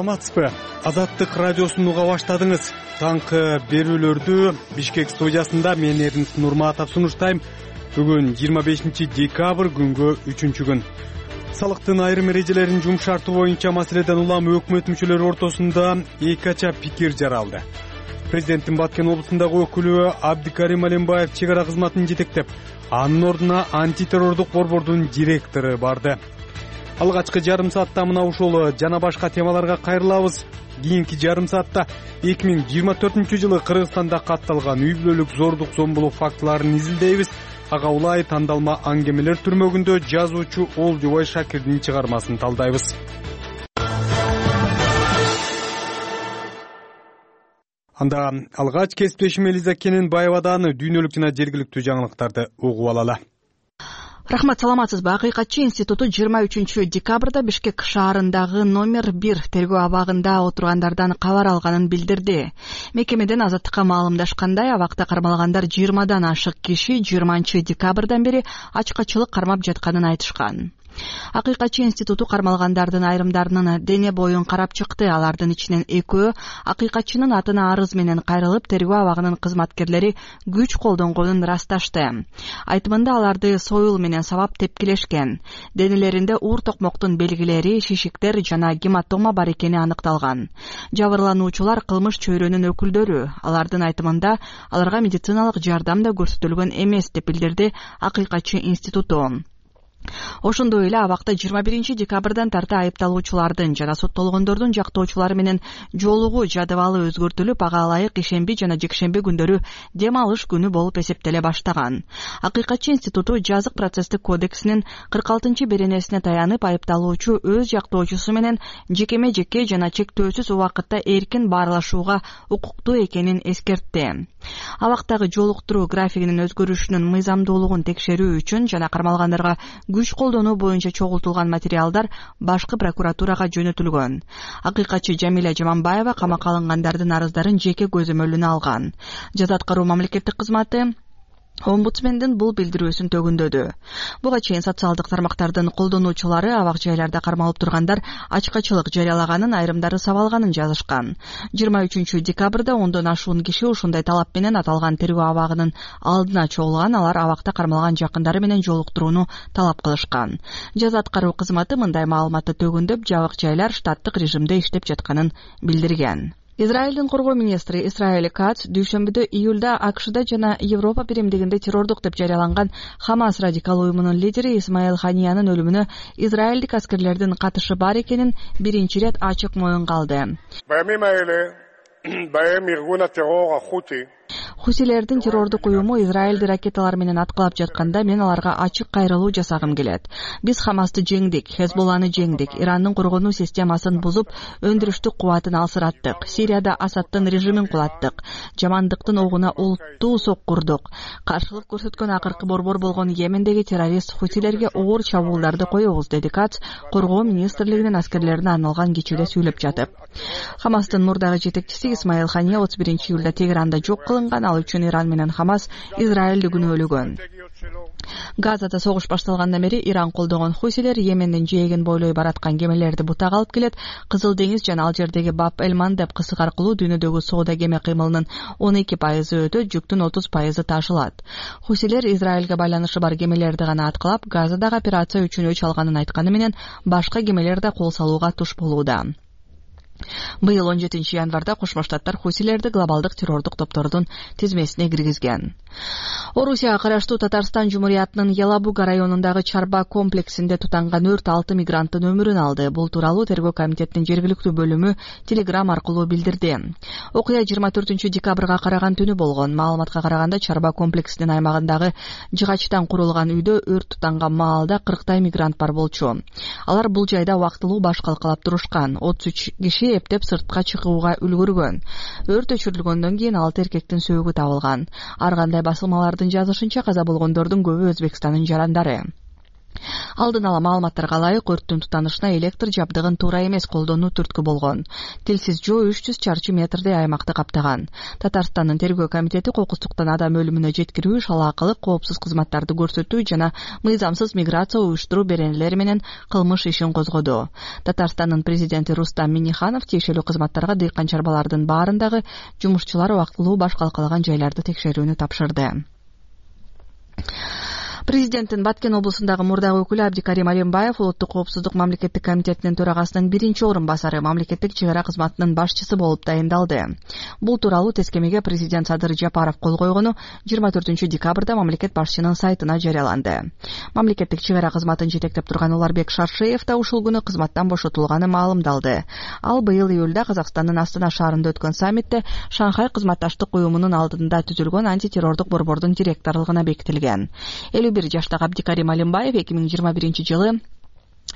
саламатсызбы? Азаттык радиосун уга баштадыңыз. Таңкы берүүлөрдү Бишкек студиясында мен Эрнст Нурматов сунуштайм. Бүгүн 25 декабрь күнгө 3-күн. Салыктын айрым эрежелерин жумшартуу боюнча маселеден улам өкмөт мүчөлөрү ортосунда эки ача пикир жаралды. Президенттин Баткен облусундагы өкүлү Абдикарим Алимбаев чек ара кызматын жетектеп, анын ордуна антитеррордук борбордун директору барды. Алгачкы жарым саатта мына ушул жана башка темаларга кайрылабыз. Кийинки жарым саатта 2024-жылы Кыргызстанда катталган үй бүлөлүк зордук зомбулук фактыларын изилдейбиз. Ага улай тандалма аңгемелер түрмөгүндө жазуучу Олжобой Шакирдин чыгармасын талдайбыз. Анда алгач кесиптешим Элиза Кененбаевадан дүйнөлүк жана жергиликтүү жаңылыктарды угуп алалы. Рахмат, саламатсызбы? Акыйкатчы институту 23 декабрда Бишкек шаарындагы номер 1 тергөө абагында отургандардан кабар алганын билдирди. Мекемеден Азаттыкка маалымдашкандай, абакта кармалгандар 20дан ашык киши 20 декабрдан бери ачкачылык кармап жатканын айтышкан. Акыйкатчы институту кармалгандардын айрымдарынын дене боюн карап чыкты. Алардын ичинен экөө акыйкатчынын атына арыз менен кайрылып, тергөө абагынын кызматкерлери күч колдонгонун ырасташты. Айтымында аларды союл менен сабап тепкилешкен. Денелеринде уур токмоктун белгилери, шишиктер жана гематома бар экени аныкталган. Жабырлануучулар кылмыш чөйрөнүн өкүлдөрү. Алардын айтымында аларга медициналык жардам да көрсөтүлгөн эмес деп билдирди Акыйкатчы институту. Ошондой эле абакта 21 декабрдан тарта айыпталуучулардын жана соттолгондордун жактоочулары менен жолугуу жадыбалы өзгөртүлүп, ага ылайык ишемби жана жекшемби күндөрү дем алыш күнү болуп эсептеле баштаган. Акыйкатчы институту жазык процесстик кодексинин 46 беренесине таянып, айыпталуучу өз жактоочусу менен жекеме жекке жана чектөөсүз убакытта эркин баарлашууга укуктуу экенин эскертти. Абактагы жолуктуруу графигинин өзгөрүшүнүн мыйзамдуулугун текшерүү үчүн жана кармалгандарга күч колдонуу боюнча чогултулган материалдар башкы прокуратурага жөнөтүлгөн. Акыйкатчы Жамиля Жаманбаева камакка алынгандардын арыздарын жеке көзөмөлүнө алган. Жаза аткаруу мамлекеттик кызматы Омбудсмендин бул билдирүүсүн төгүндөдү. Буга чейин социалдык тармактардын колдонуучулары абак жайларда кармалып тургандар ачкачылык жарыялаганын, айрымдары сабалганын жазышкан. 23 декабрда 10дон ашуун киши ушундай талап менен аталган тергөө абагынын алдына чогулган. Алар абакта кармалган жакындары менен жолуктурууну талап кылышкан. Жаза аткаруу кызматы мындай маалыматты төгүндөп, жабык жайлар штаттык режимде иштеп жатканын билдирген. Израилдин коргоо министри Исраэль Кац дүйшөмбүдө июлда АКШда жана Европа биримдигинде террордук деп жарыяланган Хамас радикал уюмунун лидери Исмаил Ханиянын өлүмүнө израилдик аскерлердин катышы бар экенин биринчи ирет ачык моюнга алды. Хусилердин террордук уюму Израилди ракеталар менен аткылап жатканда мен аларга ачык кайрылуу жасагым келет. Биз Хамасты жеңдик, Хезболланы жеңдик, Ирандын коргонуу системасын бузуп, өндүрүштүк кубатын алсыраттык, Сирияда Асадтын режимин кулаттык, жамандыктын огуна олуттуу соккурдук. Каршылык көрсөткөн акыркы борбор болгон Йемендеги террорист Хусилерге оор чабуулдарды коебуз, деди Кац коргоо министрлигинин аскерлерине арналган кечүүдө сүйлөп жатып. Хамастын мурдагы жетекчиси Исмаил Хания 31 июлда Тегеранда жок кылынган. Ал үчүн Иран менен Хамас Израилди күнөөлөгөн. Газада согуш башталгандан бери Иран колдогон хусилер Йемендин жээгин бойлой бараткан кемелерди бутак алып келет. Кызыл деңиз жана ал жердеги Баб-эль-Мандеб деп кысык аркылуу дүйнөдөгү соода кеме кыймылынын 12% өтөт, жүктүн 30% ташылат. Хусилер Израилге байланышы бар кемелерди гана аткылап, Газадагы операция үчүн өч алганын айтканы менен башка кемелер да кол салууга туш болууда. Быйыл 17 январда Кошмо Штаттар хусилерди глобалдык террордук топтордун тизмесине киргизген. Орусияга караштуу Татарстан Жумуриятынын Ялабуга районундагы Чарба комплексинде тутанган өрт 6 мигранттын өмүрүн алды. Бул тууралуу тергөө комитетинин жергиликтүү бөлүмү телеграм аркылуу билдирди. Окуя 24 декабрга караган түнү болгон. Маалыматка караганда Чарба комплексинин аймагындагы жыгачтан курулган үйдө өрт тутанган маалда 40 мигрант бар болчу. Алар бул жайда убактылуу баш калкалап турушкан. 33 киши эптеп сыртка чыгууга үлгүргөн. Өрт өчүрүлгөндөн кийин 6 эркектин сөөгү табылган. Ар кандай басылмалардын жазышынча каза болгондордун көбү Өзбекстандын жарандары. Алдын ала маалыматтарга ылайык өрттүн тутанышына электр жабдыгын туура эмес колдонуу түрткү болгон. Тилсиз жоо 300 чарчы метрдей аймакты каптаган. Татарстандын тергөө комитети кокустуктан адам өлүмүнө жеткирүү, шалаакылык, коопсуз кызматтарды көрсөтүү жана мыйзамсыз миграция уюштуруу беренелери менен кылмыш ишин козгоду. Татарстандын президенти Рустам Минниханов тиешелүү кызматтарга дыйкан чарбалардын баарындагы жумушчулар убактылуу баш калкалаган жайларды текшерүүнү тапшырды. Президенттин Баткен облусундагы мурдагы өкүлү Абдикарим Алимбаев Улуттук коопсуздук мамлекеттик комитетинин төрагасынын биринчи орун басары, мамлекеттик чек ара кызматынын башчысы болуп дайындалды. Бул тууралуу тескемеге президент Садыр Жапаров кол койгону 24 декабрда мамлекет башчынын сайтына жарыяланды. Мамлекеттик чек ара кызматын жетектеп турган Уларбек Шаршеев да ушул күнү кызматтан бошотулганы маалымдалды. Ал быйыл июлда Казакстандын Астана шаарында өткөн саммитте Шанхай кызматташтык уюмунун алдында түзүлгөн антитеррордук борбордун директорлугуна бекитилген. 51 жаштагы Абдикарим Алимбаев 2021-жылы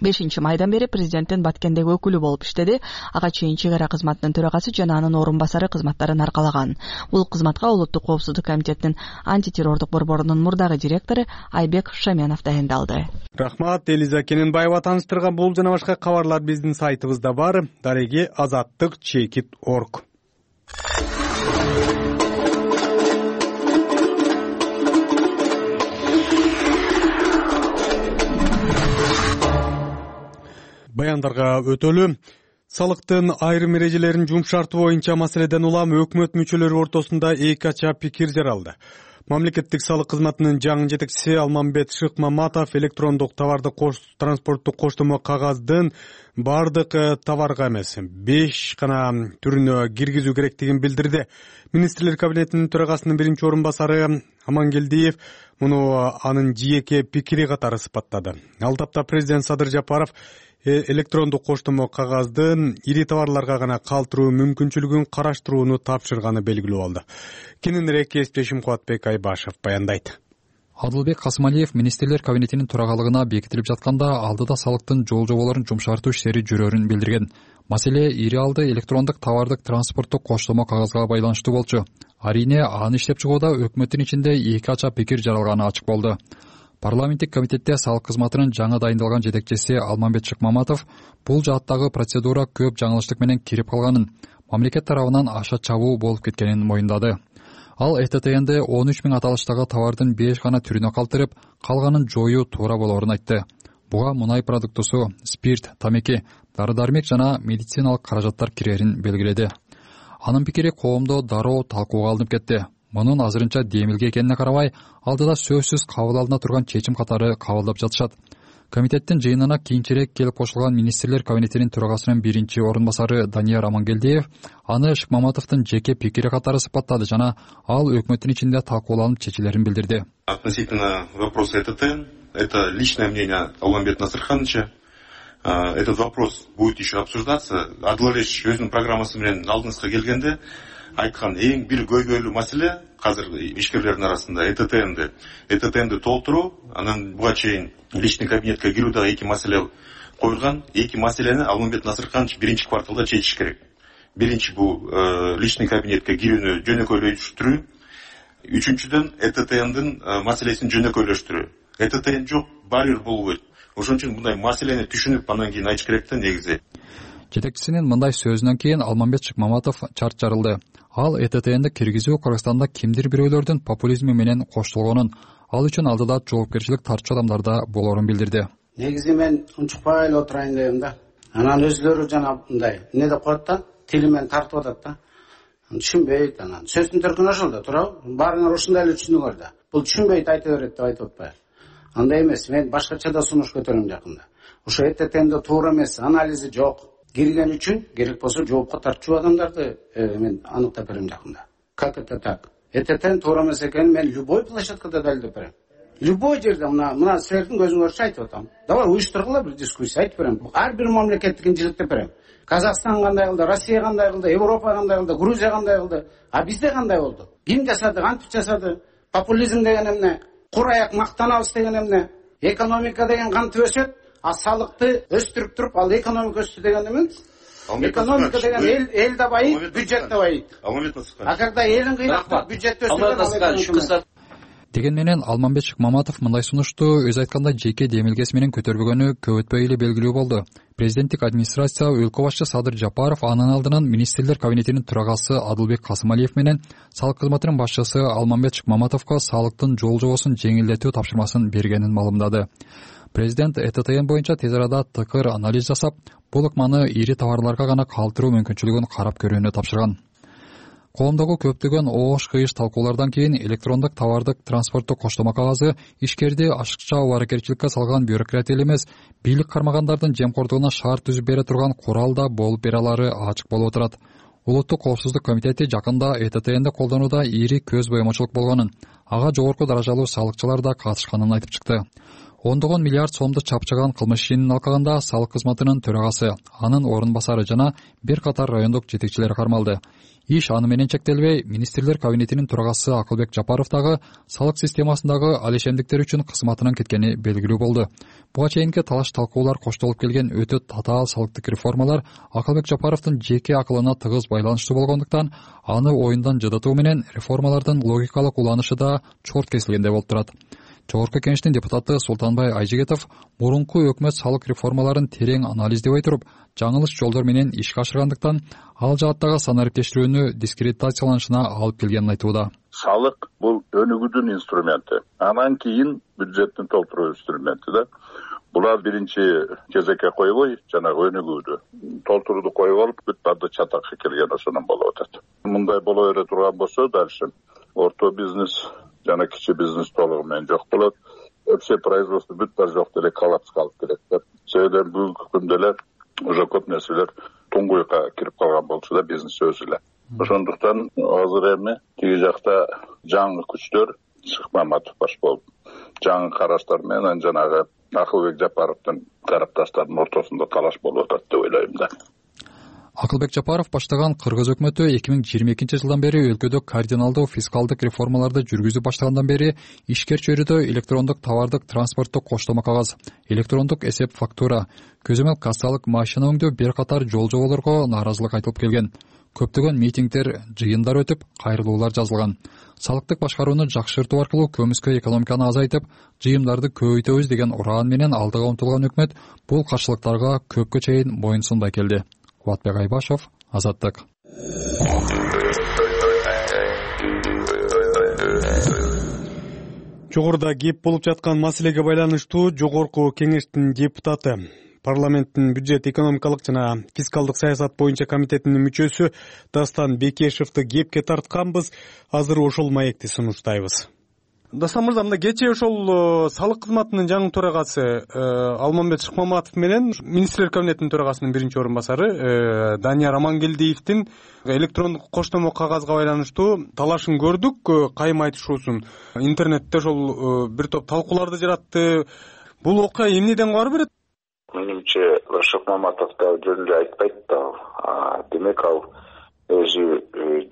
5 майдан бери президенттин Баткендеги өкүлү болуп иштеди. Ага чейин чек ара кызматынын төрагасы жана анын орун басары кызматтарын аркалаган. Бул кызматка Улуттук коопсуздук комитетинин антитеррордук борборунун мурдагы директору Айбек Шаменов дайындалды. Рахмат, Элиза Кененбаева таныштырган бул жана башка кабарлар биздин сайтыбызда бар. Дареги azаттык.org. Баяндарга өтөлү. Салыктын айрым эрежелерин жумшартуу боюнча маселеден улам өкмөт мүчөлөрү ортосунда эки ача пикир жаралды. Мамлекеттик салык кызматынын жаңы жетекчиси Алмамбет Шыкмаматов электрондук товардык транспорттук коштомо кагаздын бардык товарга эмес 5 гана түрүнө киргизүү керектигин билдирди. Министрлер кабинетинин төрагасынын биринчи орун басары Амангелдиев муну анын жеке пикири катары сыпаттады. Ал тапта президент Садыр Жапаров электрондук коштомо кагаздын ири товарларга гана калтыруу мүмкүнчүлүгүн караштырууну тапшырганы белгилүү болду. Кененирээк кесиптешим Кубатбек Айбашев баяндайт. Адылбек Касымалиев министрлер кабинетинин төрагалыгына бекитилип жатканда алдыда салыктын жол-жоболорун жумшартуу иштери жүрөрүн билдирген. Маселе ири алды электрондук товардык транспорттук коштомо кагазга байланыштуу болчу. Арине аны иштеп чыгууда өкмөттүн ичинде эки ача пикир жаралганы ачык болду. Парламенттик комитетте салык кызматынын жаңы дайындалган жетекчиси Алмамбет Шыкмаматов бул жааттагы процедура көп жаңылыштык менен кирип калганын, мамлекет тарабынан аша чабуу болуп кеткенин моюндады. Ал ЭТТНди 13 000 аталыштагы товардын 5 гана түрүнө калтырып, калганын жоюу туура болоорун айтты. Буга мунай продуктусу, спирт, тамеки, дары-дармек жана медициналык каражаттар кирерин белгиледи. Анын пикири коомдо дароо талкууга алынып кетти. Мунун азырынча демилге экенине карабай, алдыда сөзсүз кабыл алына турган чечим катары кабылдап жатышат. Комитеттин жыйынына кийинчерээк келип кошулган министрлер кабинетинин төрагасынын биринчи орун басары Данияр Амангелдиев аны Шыкмаматовдун жеке пикири катары сыпаттады жана ал өкмөттүн ичинде талкууланып чечилерин билдирди. Относительно вопроса ЭТТ, это личное мнение Алмамбета Насырхановича. Этот вопрос будет еще обсуждаться. Адылович өзүнүн программасы менен алдыңызга келгенде айткан эң бир көйгөйлүү маселе азыр ишкерлердин арасында ЭТТНди толтуруу, анан буга чейин личный кабинетке кирүү дагы эки маселе коюлган. Эки маселени Алмамбет Насырханович биринчи кварталда чечиш керек. Биринчи бул личный кабинетке кирүүнү жөнөкөйлөштүрүү. Үчүнчүдөн ЭТТНдин маселесин жөнөкөйлөштүрүү. ЭТТН жок, барьер болбойт. Ошон үчүн мындай маселени түшүнүп анан кийин айтыш керек да негизи. Жетекчисинин мындай сөзүнөн кийин Алмамбет Шыкмаматов чарт жарылды. Ал ЭТТНди киргизүү Кыргызстанда кимдир бирөөлөрдүн популизми менен коштолгонун, ал үчүн алдыда жоопкерчилик тартчу адамдарда болоорун билдирди. Негизи мен унчукпай эле отурайын дегем да. Анан өзлөрү жана мындай эмне деп коет да, тили менен тартып атат да. Түшүнбөйт анан. Сөздүн төркүнү ошол да, туурабы? Баарыңар ушундай эле түшүнүңөр да. Бул түшүнбөйт айта берет деп айтып атпайбы? Андай эмес, мен башкача да сунуш көтөрөм жакында. Ошо ЭТТНди туура эмес, анализи жок. Кирген үчүн керек болсо жоопко тартчу адамдарды мен аныктап берем жакында. Как это так? ЭТТН туура эмес экенин мен любой площадкада далилдеп берем. Любой жерде мына силердин көзүңөрчө айтып атам. Давай уюштургула бир дискуссия айтып берем. Ар бир мамлекеттикин жиликтеп берем. Казакстан кандай кылды, Россия кандай кылды, Европа кандай кылды, Грузия кандай кылды, а бизде кандай болду? Ким жасады, кантип жасады? Популизм деген эмне? Кур аяк мактанабыз деген эмне? Экономика деген кантип өсөт? А салыкты өстүрүп туруп, ал экономика өстү деген эме? Экономика деген эл да байыйт, бюджет да байыйт. А когда элин кыйнап, бюджет өстүргөн. Деген менен Алмамбет Шыкмаматов мындай сунушту өз айтканда жеке демилгеси менен көтөрбөгөнү көп өтпөй эле белгилүү болду. Президенттик администрация өлкө башчы Садыр Жапаров анын алдынан министрлер кабинетинин төрагасы Адылбек Касымалиев менен салык кызматынын башчысы Алмамбет Шыкмаматовго салыктын жол жобосун жеңилдетүү тапшырмасын бергенин маалымдады. Президент ЭТТН боюнча тез арада тыкыр анализ жасап, бул ыкманы ири товарларга гана калтыруу мүмкүнчүлүгүн карап көрүүнү тапшырган. Коомдогу көптөгөн оош-кыйыш талкуулардан кийин электрондук товардык транспорттук коштомо кагазы ишкерди ашыкча аракетчиликке салган бюрократ эле эмес, бийлик кармагандардын жемкордугуна шарт түзүп бере турган курал да болуп бере алары ачык болуп отурат. Улуттук коопсуздук комитети жакында ЭТТНди колдонууда ири көз боемочулук болгонун, ага жогорку даражалуу салыкчылар да катышканын айтып чыкты. Ондогон миллиард сомду чапчыган кылмыш ишинин алкагында салык кызматынын төрагасы, анын орун басары жана бир катар райондук жетекчилери кармалды. Иш аны менен чектелбей, министрлер кабинетинин төрагасы Акылбек Жапаров дагы салык системасындагы алешендиктер үчүн кызматынан кеткени белгилүү болду. Буга чейинки талаш талкуулар коштолуп келген өтө татаал салыктык реформалар Акылбек Жапаровдун жеке акылына тыгыз байланыштуу болгондуктан, аны оюндан жыдытуу менен реформалардын логикалык уланышы да чорт кесилгендей болуп турат. Жогорку кеңештин депутаты Султанбай Айжигетов мурунку өкмөт салык реформаларын терең анализдебей туруп, жаңылыш жолдор менен ишке ашыргандыктан, ал жааттагы санариптештирүүнү дискредитацияланышына алып келгенин айтууда. Салык бул өнүгүүдүн инструменти. Анан кийин бюджеттин толтуруу инструменти да. Булар биринчи кезекке койбой, жанагы өнүгүүдү толтурууду коюп алып, бүт барды чатакка келген ошондон болуп атат. Мындай боло бере турган болсо, дальше орто бизнес жана кичи бизнес толугу менен жок болот. Вообще производство бүт баары жок деле коллапс калып келет да. Себеби бүгүнкү күндө эле уже көп нерселер туңгуйга кирип калган болчу да, бизнес өзү эле. Ошондуктан азыр эми тиги жакта жаңы күчтөр Шыкмаматов баш болуп, жаңы караштар менен жанагы Акылбек Жапаровдун тарапташтарынын ортосунда талаш болуп атат деп ойлойм да. Акылбек Жапаров баштаган Кыргыз өкмөтү 2022 жылдан бери өлкөдө кардиналдуу фискалдык реформаларды жүргүзүп баштагандан бери ишкер чөйрөдө электрондук товардык транспорттук коштомо кагаз, электрондук эсеп фактура, көзөмөл кассалык машина өңдөө бир катар жол жоболорго нааразылык айтылып келген. Көптөгөн митингдер, жыйындар өтүп, кайрылуулар жазылган. Салыктык башкарууну жакшыртуу аркылуу көмүскө экономиканы азайтып, жыйымдарды көбөйтөбүз деген ураан менен алдыга умтулган өкмөт бул каршылыктарга көпкө чейин моюн сунбай келди. Кубатбек Айбашев, Азаттык. Жогоруда кеп болуп жаткан маселеге байланыштуу жогорку кеңештин депутаты, парламенттин бюджет, экономикалык жана фискалдык саясат боюнча комитетинин мүчөсү Дастан Бекешевди кепке тартканбыз. Азыр ошол маекти сунуштайбыз. Дастан мырза, мында кечээ ошол салык кызматынын жаңы төрагасы Алмамбет Шыкмаматов менен министрлер кабинетинин төрагасынын биринчи орун басары Данияр Амангелдиевдин электрондук коштомо кагазга байланыштуу талашын көрдүк, кайым айтышуусун. Интернетте ошол бир топ талкууларды жаратты. Бул окуя эмнеден кабар берет? Менимче Шыкмаматов да жөн эле айтпайт да. Демек ал өзү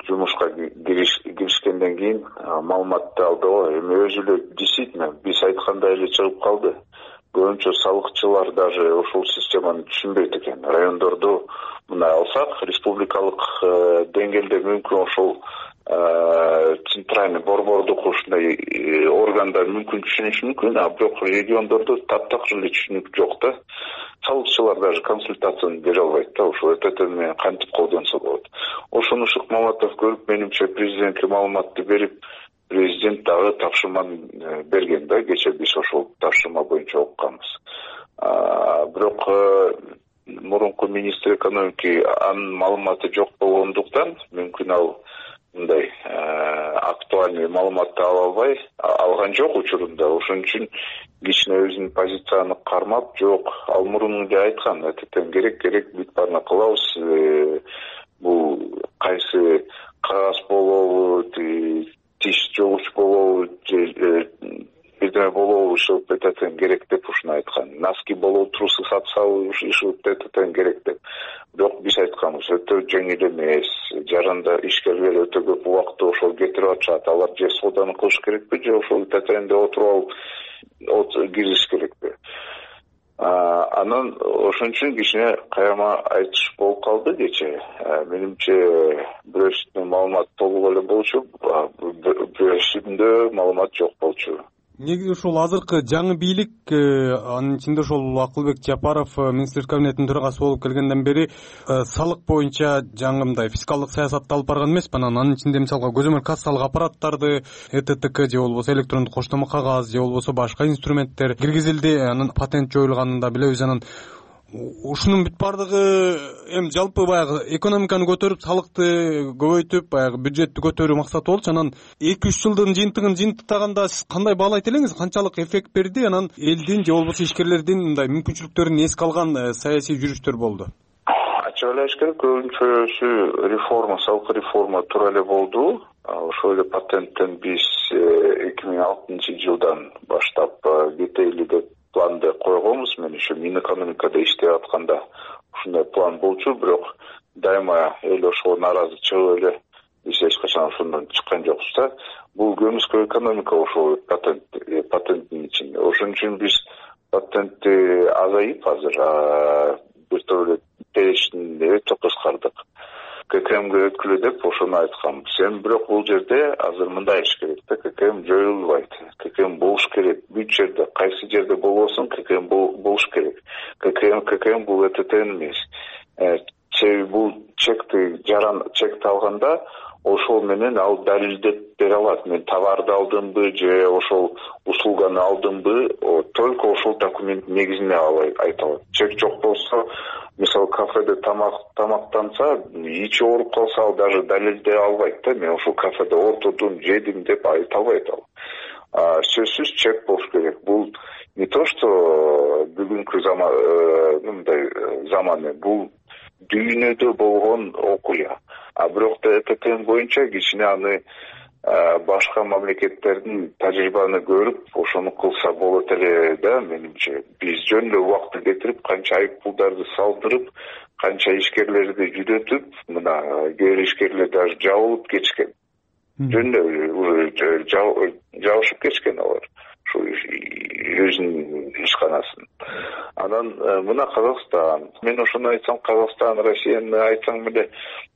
жумушка киришкенден кийин маалыматты алды го. Эми өзү эле действительно биз айткандай эле чыгып калды. Көбүнчө салыкчылар даже ушул системаны түшүнбөйт экен. Райондорду мына алсак, республикалык деңгээлде мүмкүн ошол центральный борбордук ушундай органдар мүмкүн түшүнүшү мүмкүн, а бирок региондордо таптакыр эле түшүнүк жок да. Салыкчылар даже консультацияны бере албайт да, ошол ЭТТ менен кантип колдонсо болот. Ошону Шыкмаматов көрүп, менимче президентке маалыматты берип, президент дагы тапшырманы берген да, кечээ биз ошол тапшырма боюнча окуганбыз. Бирок мурунку министр экономики анын маалыматы жок болгондуктан мүмкүн ал мындай актуальный маалыматты ала албай алган жок учурунда. Ошон үчүн кичине өзүнүн позицияны кармап, жок, ал мурун эле айткан, ЭТТ керек бүт баарына кылабыз. Бул кайсы кагаз болобу, тиш жогуч болобу, бирдеме болобу, ушул ЭТТ керек деп ушуну айткан. Носки болобу, трусы сатсабы, ушул ЭТТ керек деп. Бирок биз айтканбыз, өтө жеңил эмес. Жаранда ишкерлер өтө көп убакытты ошол кетирип атышат. Алар же сооданы кылыш керекпи, же ошол ЭТТнде отуруп алып кириш керекпи? Анан ошон үчүн кичине кайрама айтыш болуп калды кечээ. Менимче бирөөсүндө маалымат толук эле болчу, бирөөсүндө маалымат жок болчу. Негизи ушул азыркы жаңы бийлик, анын ичинде ошол Акылбек Жапаров министрлер кабинетинин төрагасы болуп келгенден бери салык боюнча жаңы мындай фискалдык саясатты алып барган эмеспи. Анын ичинде мисалга көзөмөл кассалык аппараттарды, ЭТТК же болбосо электрондук коштомо кагаз же болбосо башка инструменттер киргизилди. Анын патент жоюлганын да билебиз. Анан ушунун бүт бардыгы эми жалпы баягы экономиканы көтөрүп, салыкты көбөйтүп, баягы бюджетти көтөрүү максаты болчу. Анан 2-3 жылдын жыйынтыгын жыйынтыктаганда сиз кандай баалайт элеңиз? Канчалык эффект берди? Анан элдин же болбосо ишкерлердин мындай мүмкүнчүлүктөрүн эске алган саясий жүрүштөр болду? Ачык эле айтыш керек, көбүнчөсү реформа, салык реформа туура эле болду. Ошол эле патенттен биз 2006 жылдан баштап кетели деп планды койгонбуз. Мен еще Минэкономикада иштеп атканда ушундай план болчу, бирок дайыма эл ошого нааразы чыгып эле биз эч качан ошондон чыккан жокпуз да. Бул көмүскө экономика ошол патенттин ичинде. Ошон үчүн биз патентти азайып азыр бир топ эле перечни өтө кыскардык. ККМге өткүлө деп ошону айтканбыз. Эми бирок бул жерде азыр мындай иш керек да, ККМ жоюлбайт. ККМ болуш керек. Бүт жерде, кайсы жерде болбосун, ККМ болуш керек. ККМ бул ЭТТ эмес. Бул чекти алганда ошол менен ал далилдеп бере алат. Мен товарды алдымбы же ошол услуганы алдымбы, только ошол документ негизинде айта алат. Чек жок болсо, мисалы кафеде тамактанса, ичи ооруп калса, ал даже далилдей албайт да. Мен ошол кафеде отурдум, жедим деп айта албайт ал. Сөзсүз чек болуш керек. Бул не то, что бүгүнкү заманы, бул дүйнөдө болгон окуя. Бирок да ЭТТ боюнча кичине аны башка мамлекеттердин тажрыйбаны көрүп, ошону кылса болот эле да, менимче. Биз жөн эле убакытты кетирип, канча айып пулдарды салдырып, канча ишкерлерди жүдөтүп, мына кээ бир ишкерлер даже жабылып кетишкен. Жөн эле жабышып кетишкен алар. Өзүнүн ишканасын. Анан мына Казакстан. Мен ошону айтсам, Казакстан, Россияны айтсаң мындай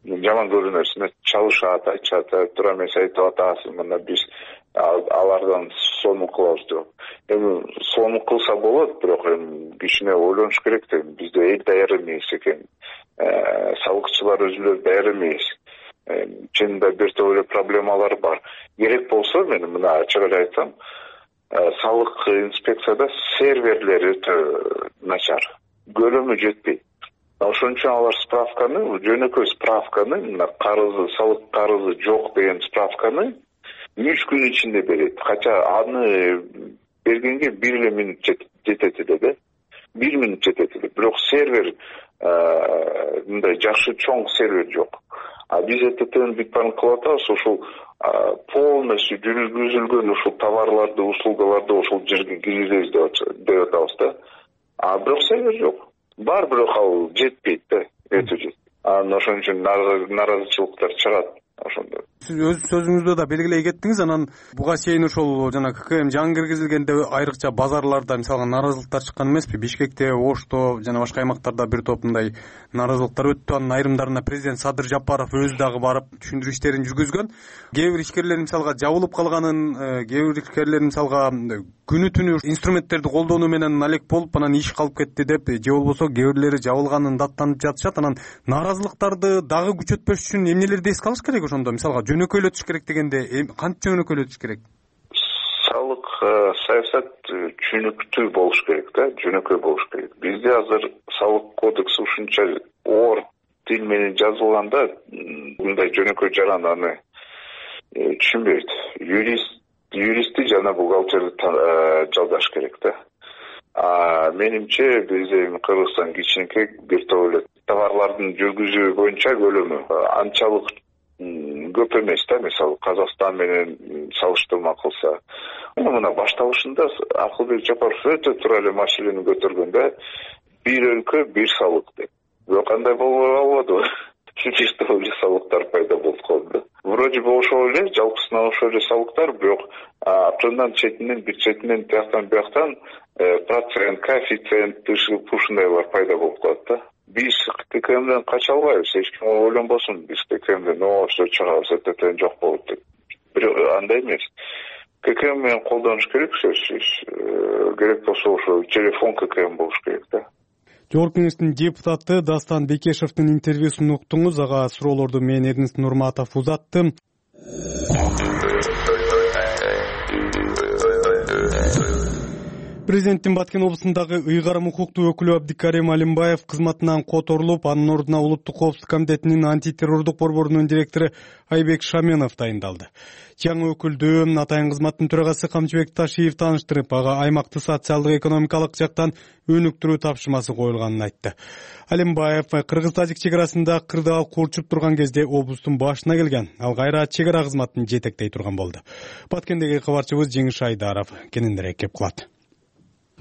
жаман көрүнөсүн. Чалышат, айтышат, туура эмес айтып атасың. Мына биз алардан сонун кылабыз деп. Эми сонун кылса болот, бирок эми кичине ойлонуш керек да. Бизде эл даяр эмес экен. Салыкчылар өзүлөрү даяр эмес. Чынында бир топ эле проблемалар бар. Керек болсо, мен мына ачык эле айтсам, салык инспекцияда серверлери өтө начар. Көлөмү жетпейт. Ошон үчүн алар справканы, жөнөкөй справканы, мына салык карызы жок деген справканы 3 күн ичинде берет. Кача аны бергенге 1 эле минут жетет эле да. 1 минут жетет эле. Бирок сервер мындай жакшы чоң сервер жок. Биз ЭТТны бүт баарын кылып атабыз, ошол полностью жүргүзүлгөн ушул товарларды, услугаларды ошол жерге киргизебиз деп атабыз да. Бирок сервер жок. Бар, бирок ал жетпейт да, өтө жетпейт. Ошон үчүн нааразычылыктар чыгат ошондо. Сиз өз сөзүңүздө да белгилей кеттиңиз. Анан буга чейин ошол жана ККМ жаңы киргизилгенде айрыкча базарларда мисалга нааразылыктар чыккан эмеспи? Бишкекте, Ошто жана башка аймактарда бир топ мындай нааразылыктар өттү. Анын айрымдарына президент Садыр Жапаров өзү дагы барып түшүндүрүү иштерин жүргүзгөн. Кээ бир ишкерлер мисалга жабылып калганын, кээ бир ишкерлер мисалга күнү түнү инструменттерди колдонуу менен алек болуп, анан иш калып кетти деп, же болбосо кээ бирлери жабылганын даттанып жатышат. Анан нааразылыктарды дагы күчөтпөш үчүн эмнелерди эске алыш керек ошондо? Мисалга жөнөкөйлөтүш керек дегенде кантип жөнөкөйлөтүш керек? Салык саясат түшүнүктүү болуш керек да, жөнөкөй болуш керек. Бизде азыр салык кодекси ушунча оор тил менен жазылганда, мындай жөнөкөй жаран аны түшүнбөйт. Юристти жана бухгалтерди жалдаш керек да. Менимче бизде Кыргызстан кичинекей бир топ эле товарлардын жүргүзүү боюнча көлөмү анчалык көп эмес да. Мисалы Казакстан менен салыштырма кылса, мына башталышында Акылбек Жапаров өтө туура эле маселени көтөргөн да. Бир өлкө, бир салык деп. Бирок кандай болбой калбады. Бир топ эле салыктар пайда болуп калды. вроде бы ошол эле жалпысынан ошол эле салыктар, бирок абчондан четинен, бир четинен, бияктан процент, коэффициент ушундайлар пайда болуп калат да. Биз ККМден кача албайбыз, эч ким ойлонбосун, биз ККМден ошо чыгабыз, это жок болот деп. Бирок андай эмес. ККМ менен колдонуш керек, сөзсүз. Керек болсо ошо телефон ККМ болуш керек да. Жогорку Кеңештин депутаты Дастан Бекешевдин интервьюсун уктуңуз. Ага суроолорду мен Эрнест Нурматов узаттым. Президенттин Баткен облусундагы ыйгарым укуктуу өкүлү Абдикарим Алимбаев кызматынан которулуп, анын ордуна Улуттук коопсуздук комитетинин антитеррордук борборунун директору Айбек Шаменов дайындалды. Жаңы өкүлдү атайын кызматтын төрагасы Камчыбек Ташиев тааныштырып, ага аймакты социалдык экономикалык жактан өнүктүрүү тапшырмасы коюлганын айтты. Алимбаев Кыргыз-Тажик чек арасында кырдаал курчуп турган кезде облустун башына келген. Ал кайра чек ара кызматын жетектей турган болду. Баткендеги кабарчыбыз Жеңиш Айдаров кененирээк кеп кылат.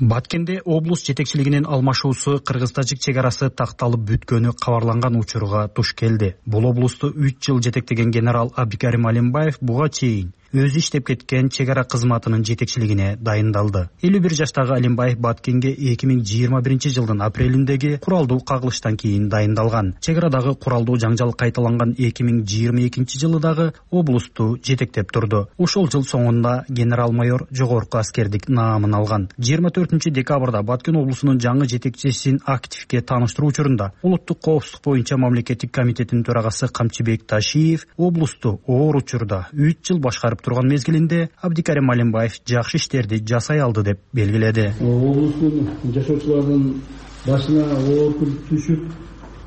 Баткенде облус жетекчилигинин алмашуусу Кыргыз-Тажик чек арасы такталып бүткөнү кабарланган учурга туш келди. Бул облусту 3 жыл жетектеген генерал Абдикарим Алимбаев буга чейин өзү иштеп кеткен чек ара кызматынын жетекчилигине дайындалды. 51 жаштагы Алимбаев Баткенге 2021 жылдын апрелиндеги куралдуу кагылыштан кийин дайындалган. Чек арадагы куралдуу жаңжал кайталанган 2022 жылы дагы облусту жетектеп турду. Ошол жыл соңунда генерал-майор жогорку аскердик наамын алган. 24 декабрда Баткен облусунун жаңы жетекчисин активге тааныштыруу учурунда Улуттук коопсуздук боюнча мамлекеттик комитеттин төрагасы Камчыбек Ташиев облусту оор учурда 3 жыл башкарып турган мезгилинде Абдикарим Алимбаев жакшы иштерди жасай алды деп белгиледи. Облустун жашоочуларынын башына оор күн түшүп,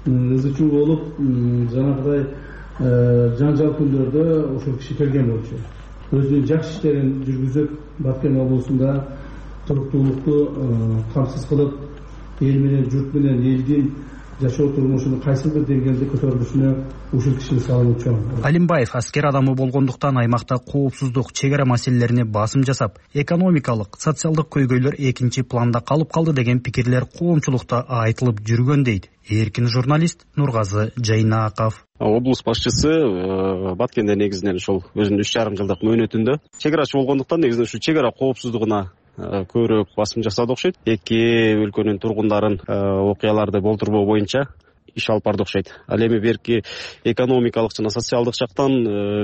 ызычуу болуп, жанагыдай жаңжал күндөрдө ошол киши келген болчу. Өзүнүн жакшы иштерин жүргүзүп, Баткен облусунда туруктуулукту камсыз кылып, эл менен, журт менен элдин жашоо турмушунун кайсы бир деңгээлде көтөрүлүшүнө ушул кишинин салымы чоң. Алимбаев аскер адамы болгондуктан аймакта коопсуздук, чек ара маселелерине басым жасап, экономикалык, социалдык көйгөйлөр экинчи планда калып калды деген пикирлер коомчулукта айтылып жүргөн дейт эркин журналист Нургазы Жайнаков. Облус башчысы Баткенде негизинен ушул өзүнүн 3,5 жылдык мөөнөтүндө чек арачы болгондуктан негизинен ушу чек ара коопсуздугуна көбүрөөк басым жасады окшойт. Эки өлкөнүн тургундарын окуяларды болтурбоо боюнча иш алып барды окшойт. Ал эми берки экономикалык жана социалдык жактан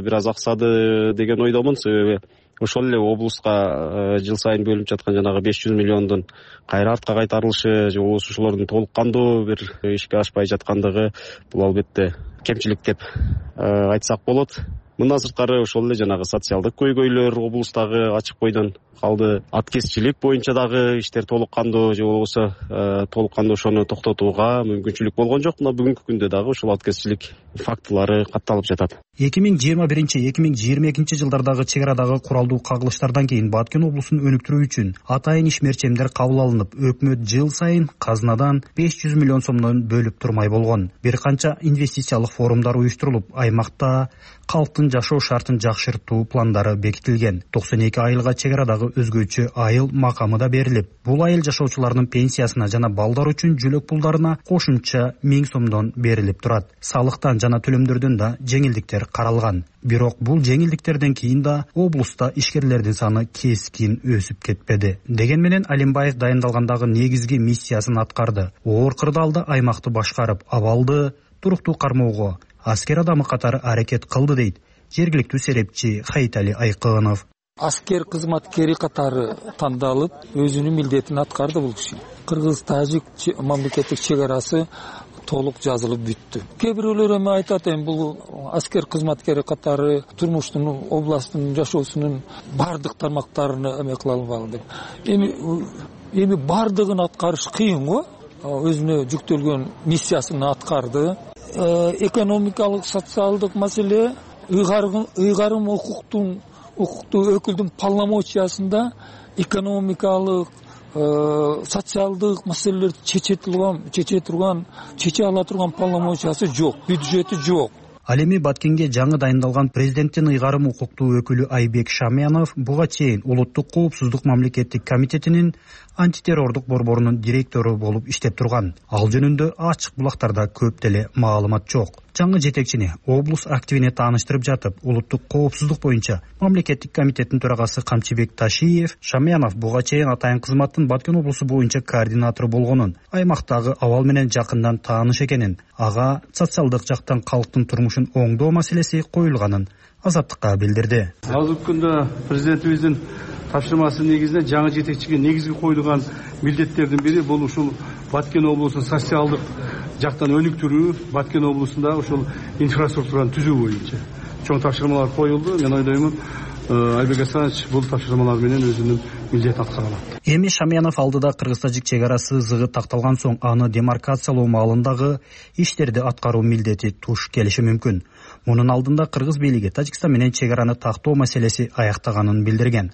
бир аз аксады деген ойдомун. Себеби ошол эле облуска жыл сайын бөлүнүп жаткан жанагы 500 миллиондун кайра артка кайтарылышы же болбосо ошолордун толук кандуу бир ишке ашпай жаткандыгы бул албетте кемчилик деп айтсак болот. Мындан сырткары ошол эле жанагы социалдык көйгөйлөр облустагы ачык бойдон калды. Аткезчилик боюнча дагы иштер толук кандуу же болбосо толук кандуу ошону токтотууга мүмкүнчүлүк болгон жок. Мына бүгүнкү күндө дагы ушул аткезчилик фактылары катталып жатат. 2021-2022 жылдардагы чек арадагы куралдуу кагылыштардан кийин Баткен облусун өнүктүрүү үчүн атайын ишмерчемдер кабыл алынып, өкмөт жыл сайын казнадан 500 миллион сомдон бөлүп турмай болгон. Бир канча инвестициялык форумдар уюштурулуп, аймакта калктын жашоо шартын жакшыртуу пландары бекитилген. 92 айылга чек арадагы өзгөчө айыл макамы да берилип, бул айыл жашоочуларынын пенсиясына жана балдар үчүн жөлөк пулдарына кошумча 1000 сомдон берилип турат. Салыктан жана төлөмдөрдөн да жеңилдиктер каралган. Бирок бул жеңилдиктерден кийин да облуста ишкерлердин саны кескин өсүп кетпеди. Деген менен Алимбаев дайындалгандагы негизги миссиясын аткарды. Оор кырдаалда аймакты башкарып, абалды туруктуу кармоого аскер адамы катары аракет кылды дейт жергиликтүү серепчи Хайтали Айкынов. Аскер кызматкери катары тандалып, өзүнүн милдетин аткарды бул киши. Кыргыз-Тажик мамлекеттик чек арасы толук жазылып бүттү. Кээ бирөөлөр эми айтат, бул аскер кызматкери катары турмуштун, областтын жашоосунун бардык тармактарын эме кыла албаган деп. Эми бардыгын аткарыш кыйын го. Өзүнө жүктөлгөн миссиясын аткарды. Экономикалык, социалдык маселе, ыйгарым укуктуу өкүлдүн полномочиясында экономикалык, социалдык маселелерди чече ала турган полномочиясы жок, бюджети жок. Ал эми Баткенге жаңы дайындалган президенттин ыйгарым укуктуу өкүлү Айбек Шамянов буга чейин улуттук коопсуздук мамлекеттик комитетинин антитеррордук борборунун директору болуп иштеп турган. Ал жөнүндө ачык булактарда көп деле маалымат жок. Жаңы жетекчини облус активине тааныштырып жатып, улуттук коопсуздук боюнча мамлекеттик комитеттин төрагасы Камчыбек Ташиев Шамянов буга чейин атайын кызматтын Баткен облусу боюнча координатору болгонун, аймактагы абал менен жакындан тааныш экенин, ага социалдык жактан калктын турмушун оңдоо маселеси коюлганын Азаттыкка билдирди. Азыркы күндө президентибиздин тапшырмасы негизинде жаңы жетекчиге негизги коюлган милдеттердин бири бул ушул Баткен облусун социалдык жактан өнүктүрүү, Баткен облусунда ушул инфраструктураны түзүү боюнча чоң тапшырмалар коюлду. Мен ойлоймун, Айбек Асанович бул тапшырмалар менен өзүнүн милдетин аткара алат. Эми Шамянов алдыда кыргыз-тажик чек арасы зыгы такталган соң аны демаркациялоо маалындагы иштерди аткаруу милдети туш келиши мүмкүн. Мунун алдында кыргыз бийлиги Тажикстан менен чек араны тактоо маселеси аяктаганын билдирген.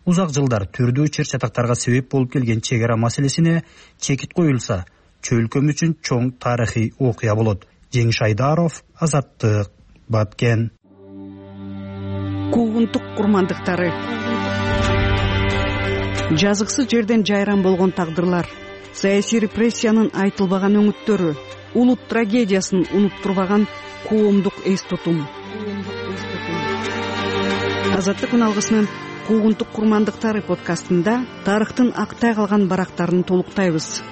Узак жылдар түрдүү чыр-чатактарга себеп болуп келген чек ара маселесине чекит коюлса, чөлкөм үчүн чоң тарыхый окуя болот. Жеңиш Айдаров, Азаттык, Баткен. Куугунтук курмандыктары. Жазыксыз жерден жайран болгон тагдырлар, саясий репрессиянын айтылбаган өңүттөрү, улут трагедиясын унуттурбаган коомдук эс тутум. Азаттык үналгысынын Куугунтук курмандыктары подкастында тарыхтын актай калган барактарын толуктайбыз.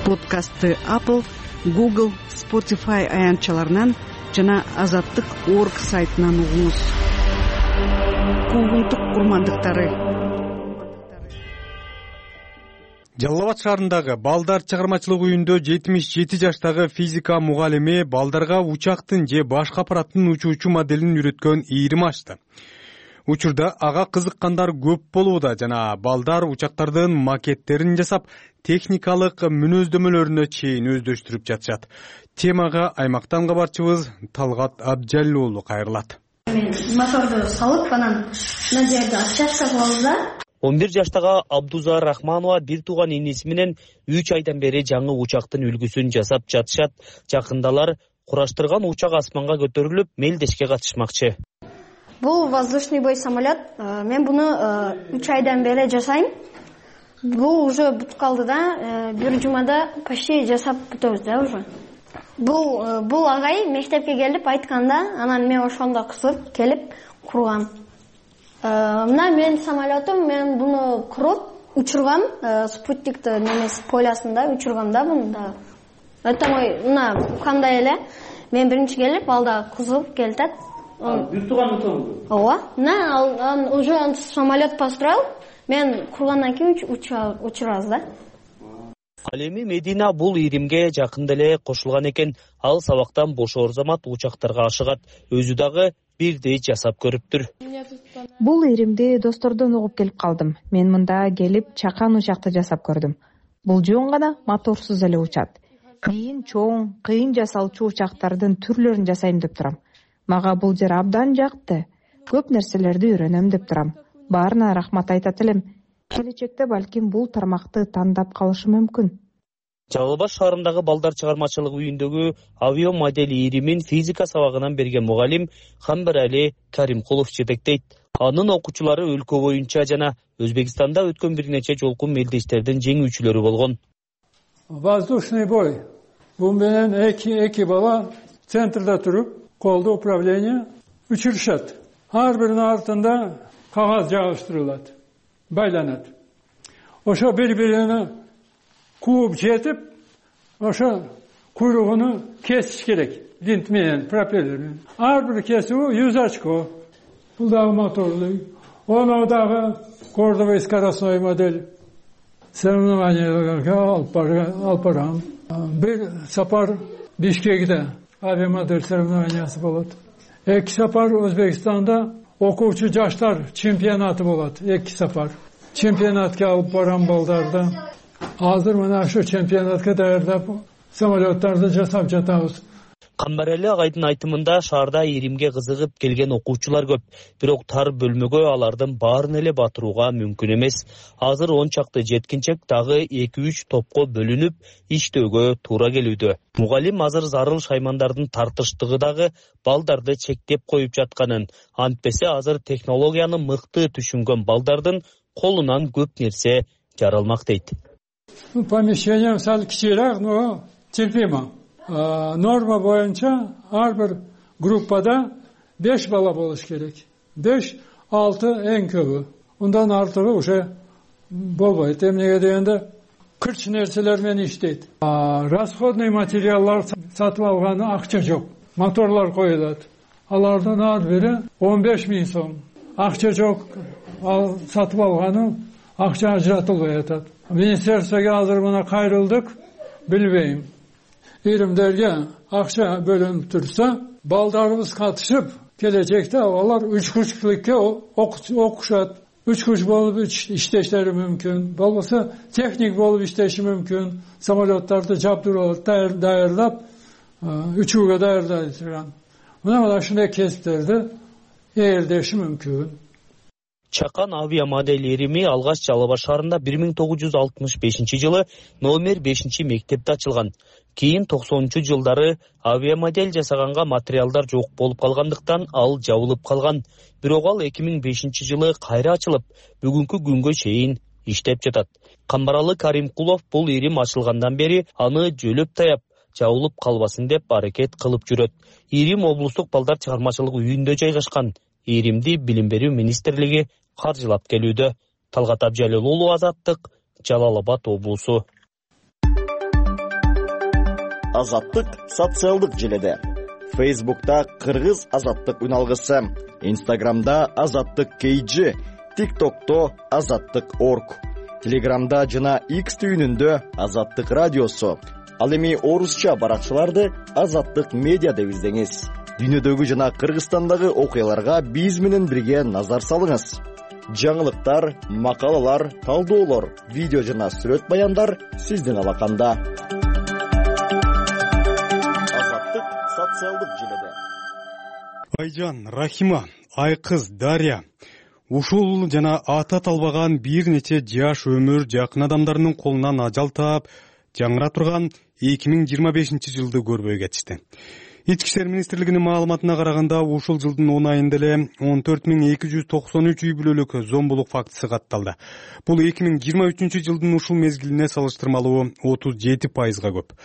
Подкастты Apple, Google, Spotify аянтчаларынан жана Азаттык.org сайтынан угуңуз. Куугунтук курмандыктары. Жалал Абад шаарындагы балдар чыгармачылык үйүндө 77 жаштагы физика мугалими балдарга учактын же башка аппараттын учуучу моделин үйрөткөн ийрим ачты. Учурда ага кызыккандар көп болууда жана балдар учактардын макеттерин жасап, техникалык мүнөздөмөлөрүнө чейин өздөштүрүп жатышат. Темага аймактан кабарчыбыз Талгат Абжалил уулу кайрылат. Мен моторду салып, анан мына жерде отчастка кылабыз да. 11 жаштагы Абдуза Рахманова бир тууган иниси менен 3 айдан бери жаңы учактын үлгүсүн жасап жатышат. Жакындалар кураштырган учак асманга көтөрүлүп, мелдешке катышмакчы. Бул воздушный бой самолет. Мен буну 3 айдан бери жасайм. Бул уже бүтүп калды да, бир жумада почти жасап бүтөбүз да уже. Бул агай мектепке келип айтканда, анан мен ошондо кызып келип кургам. Мына менин самолетум, мен буну куруп учургам, спутниктин немеси полясында учургам да буну да. Это мой, мына кандай эле, мен биринчи келип, алда кызып келтет. Бир тууган отом. Ооба. Мына уже самолет построил, мен кургандан кийин учурабыз да. Ал эми Медина бул ийримге жакында эле кошулган экен. Ал сабактан бошоор замат учактарга ашыгат. Өзү дагы бирдей жасап көрүптүр. Бул ийримди достордон угуп келип калдым. Мен мында келип чакан учакты жасап көрдүм. Бул жөн гана моторсуз эле учат. Кийин чоң, кыйын жасалчу учактардын түрлөрүн жасайм деп турам. Мага бул жер абдан жакты. Көп нерселерди үйрөнөм деп турам. Баарына рахмат айтат элем. Келечекте балким бул тармакты тандап калышы мүмкүн. Жалал Абад шаарындагы балдар чыгармачылык үйүндөгү авиа модель ийримин физика сабагынан берген мугалим Хамбарали Каримкулов жетектейт. Анын окуучулары өлкө боюнча жана Өзбекстанда өткөн бир нече жолку мелдештердин жеңүүчүлөрү болгон. Воздушный бой. Бул менен эки бала центрда туруп, колдо управление учурушат. Ар биринин артында кагаз жабыштырылат, байланат. Ошо бири-бирине кууп жетип, ошо куйругуну кесиш керек. Винт менен, пропеллер менен. Ар бир кесүү 100 очко. Бул дагы моторлуу. Ону дагы кордовый скоростной модель. Соревнованияларга алып барам. Бир сапар Бишкекте авиамодель соревнованиясы болот. Эки сапар Өзбекстанда окуучу жаштар чемпионаты болот. Эки сапар. Чемпионатка алып барам балдарды. Азыр мына ошо чемпионатка даярдап самолеттарды жасап жатабыз. Камбарали агайдын айтымында шаарда иримге кызыгып келген окуучулар көп, бирок тар бөлмөгө алардын баарын эле батырууга мүмкүн эмес. Азыр 10 чакты жеткинчек дагы 2-3 топко бөлүнүп иштөөгө туура келүүдө. Мугалим азыр зарыл шаймандардын тартыштыгы дагы балдарды чектеп коюп жатканын, антпесе азыр технологияны мыкты түшүнгөн балдардын колунан көп нерсе жаралмак дейт. Помещение сал кичирээк, но терпимо. Норма боюнча ар бир группада 5 бала болуш керек. 5-6 эң көбү. Ундан артыгы уже болбойт. Эмнеге дегенде кырч нерселер менен иштейт. Расходный материалдар сатып алганы акча жок. Моторлор коюлат. Алардын ар бири 15 000 сом. Акча жок. Ал сатып алганы акча ажыратылбай атат. Министерствого азыр мына кайрылдык, билбейм. Иримдерге акча бөлүнүп турса, балдарыбыз катышып, келечекте алар учкучтукке окушат. Учкуч болуп иштештери мүмкүн. Болбосо техник болуп иштеши мүмкүн. Самолеттарды жабдырып, даярдап, учууга даярдай турган. Мына ушундай кесиптерди ээлдеши мүмкүн. Чакан авиамодель ирими алгач Жалал Абад шаарында 1965 номер 5 мектепте ачылган. Кийин 90-жылдары авиамодель жасаганга материалдар жок болуп калгандыктан ал жабылып калган. Бирок ал 2005 кайра ачылып, бүгүнкү күнгө чейин иштеп жатат. Камбаралы Каримкулов бул ирим ачылгандан бери аны жөлөп таяп, жабылып калбасын деп аракет кылып жүрөт. Ирим облустук балдар чыгармачылык үйүндө жайгашкан. Иримди Билим берүү министрлиги каржылап келүүдө. Талгат Абжалил уулу, Азаттык, Жалал Абад облусу. Азаттык социалдык желеде. Facebook'ta Кыргыз Азаттык үналгысы, Instagram'da Азаттык KG, TikTok'to Азаттык.org, Telegram'da жана X түйүнүндө Азаттык радиосу. Ал эми орусча баракчаларды Азаттык медиа деп издеңиз. Дүйнөдөгү жана Кыргызстандагы окуяларга биз менен бирге назар салыңыз. Жаңылыктар, макалалар, талдоолор, видео жана сүрөт баяндар сиздин алаканда. Азаттык социалдык желеде. Айжан, Рахима, Айкыз, Дарья. Ушул жана ата талбаган бир нече жаш өмүр жакын адамдарынын колунан ажал таап, жаңыра турган 2025 жылды көрбөй кетишти. Ички иштер министрлигинин маалыматына караганда, ушул жылдын 10 айында эле 14293 үй бүлөлүк зомбулук фактысы катталды. Бул 2023 жылдын ушул мезгилине салыштырмалуу 37%га көп.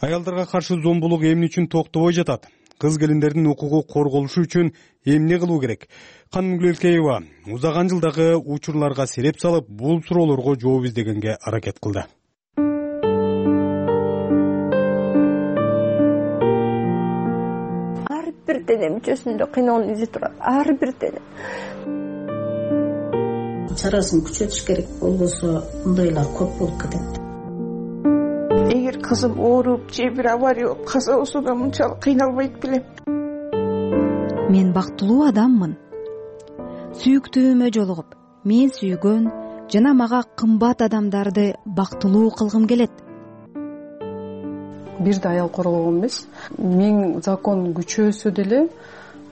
Аялдарга каршы зомбулук эмне үчүн токтобой жатат? Кыз келиндердин укугу корголушу үчүн эмне кылуу керек? Каным Гүлелкеева узаган жылдагы учурларга сереп салып, бул суроолорго жооп издегенге аракет кылды. Бир дене мүчөсүндө кыйноонун изи турат. Ар бир дене. Чарасын күчөтүш керек, болбосо мындайлар көп болуп кетет. Эгер кызым ооруп же бир авария болуп каза болсо да мынчалык кыйналбайт белем. Мен бактылуу адаммын. Сүйүктүүмө жолугуп, мен сүйгөн жана мага кымбат адамдарды бактылуу кылгым келет. Бир да аял корголгон эмес. Миң закон күчөөсө деле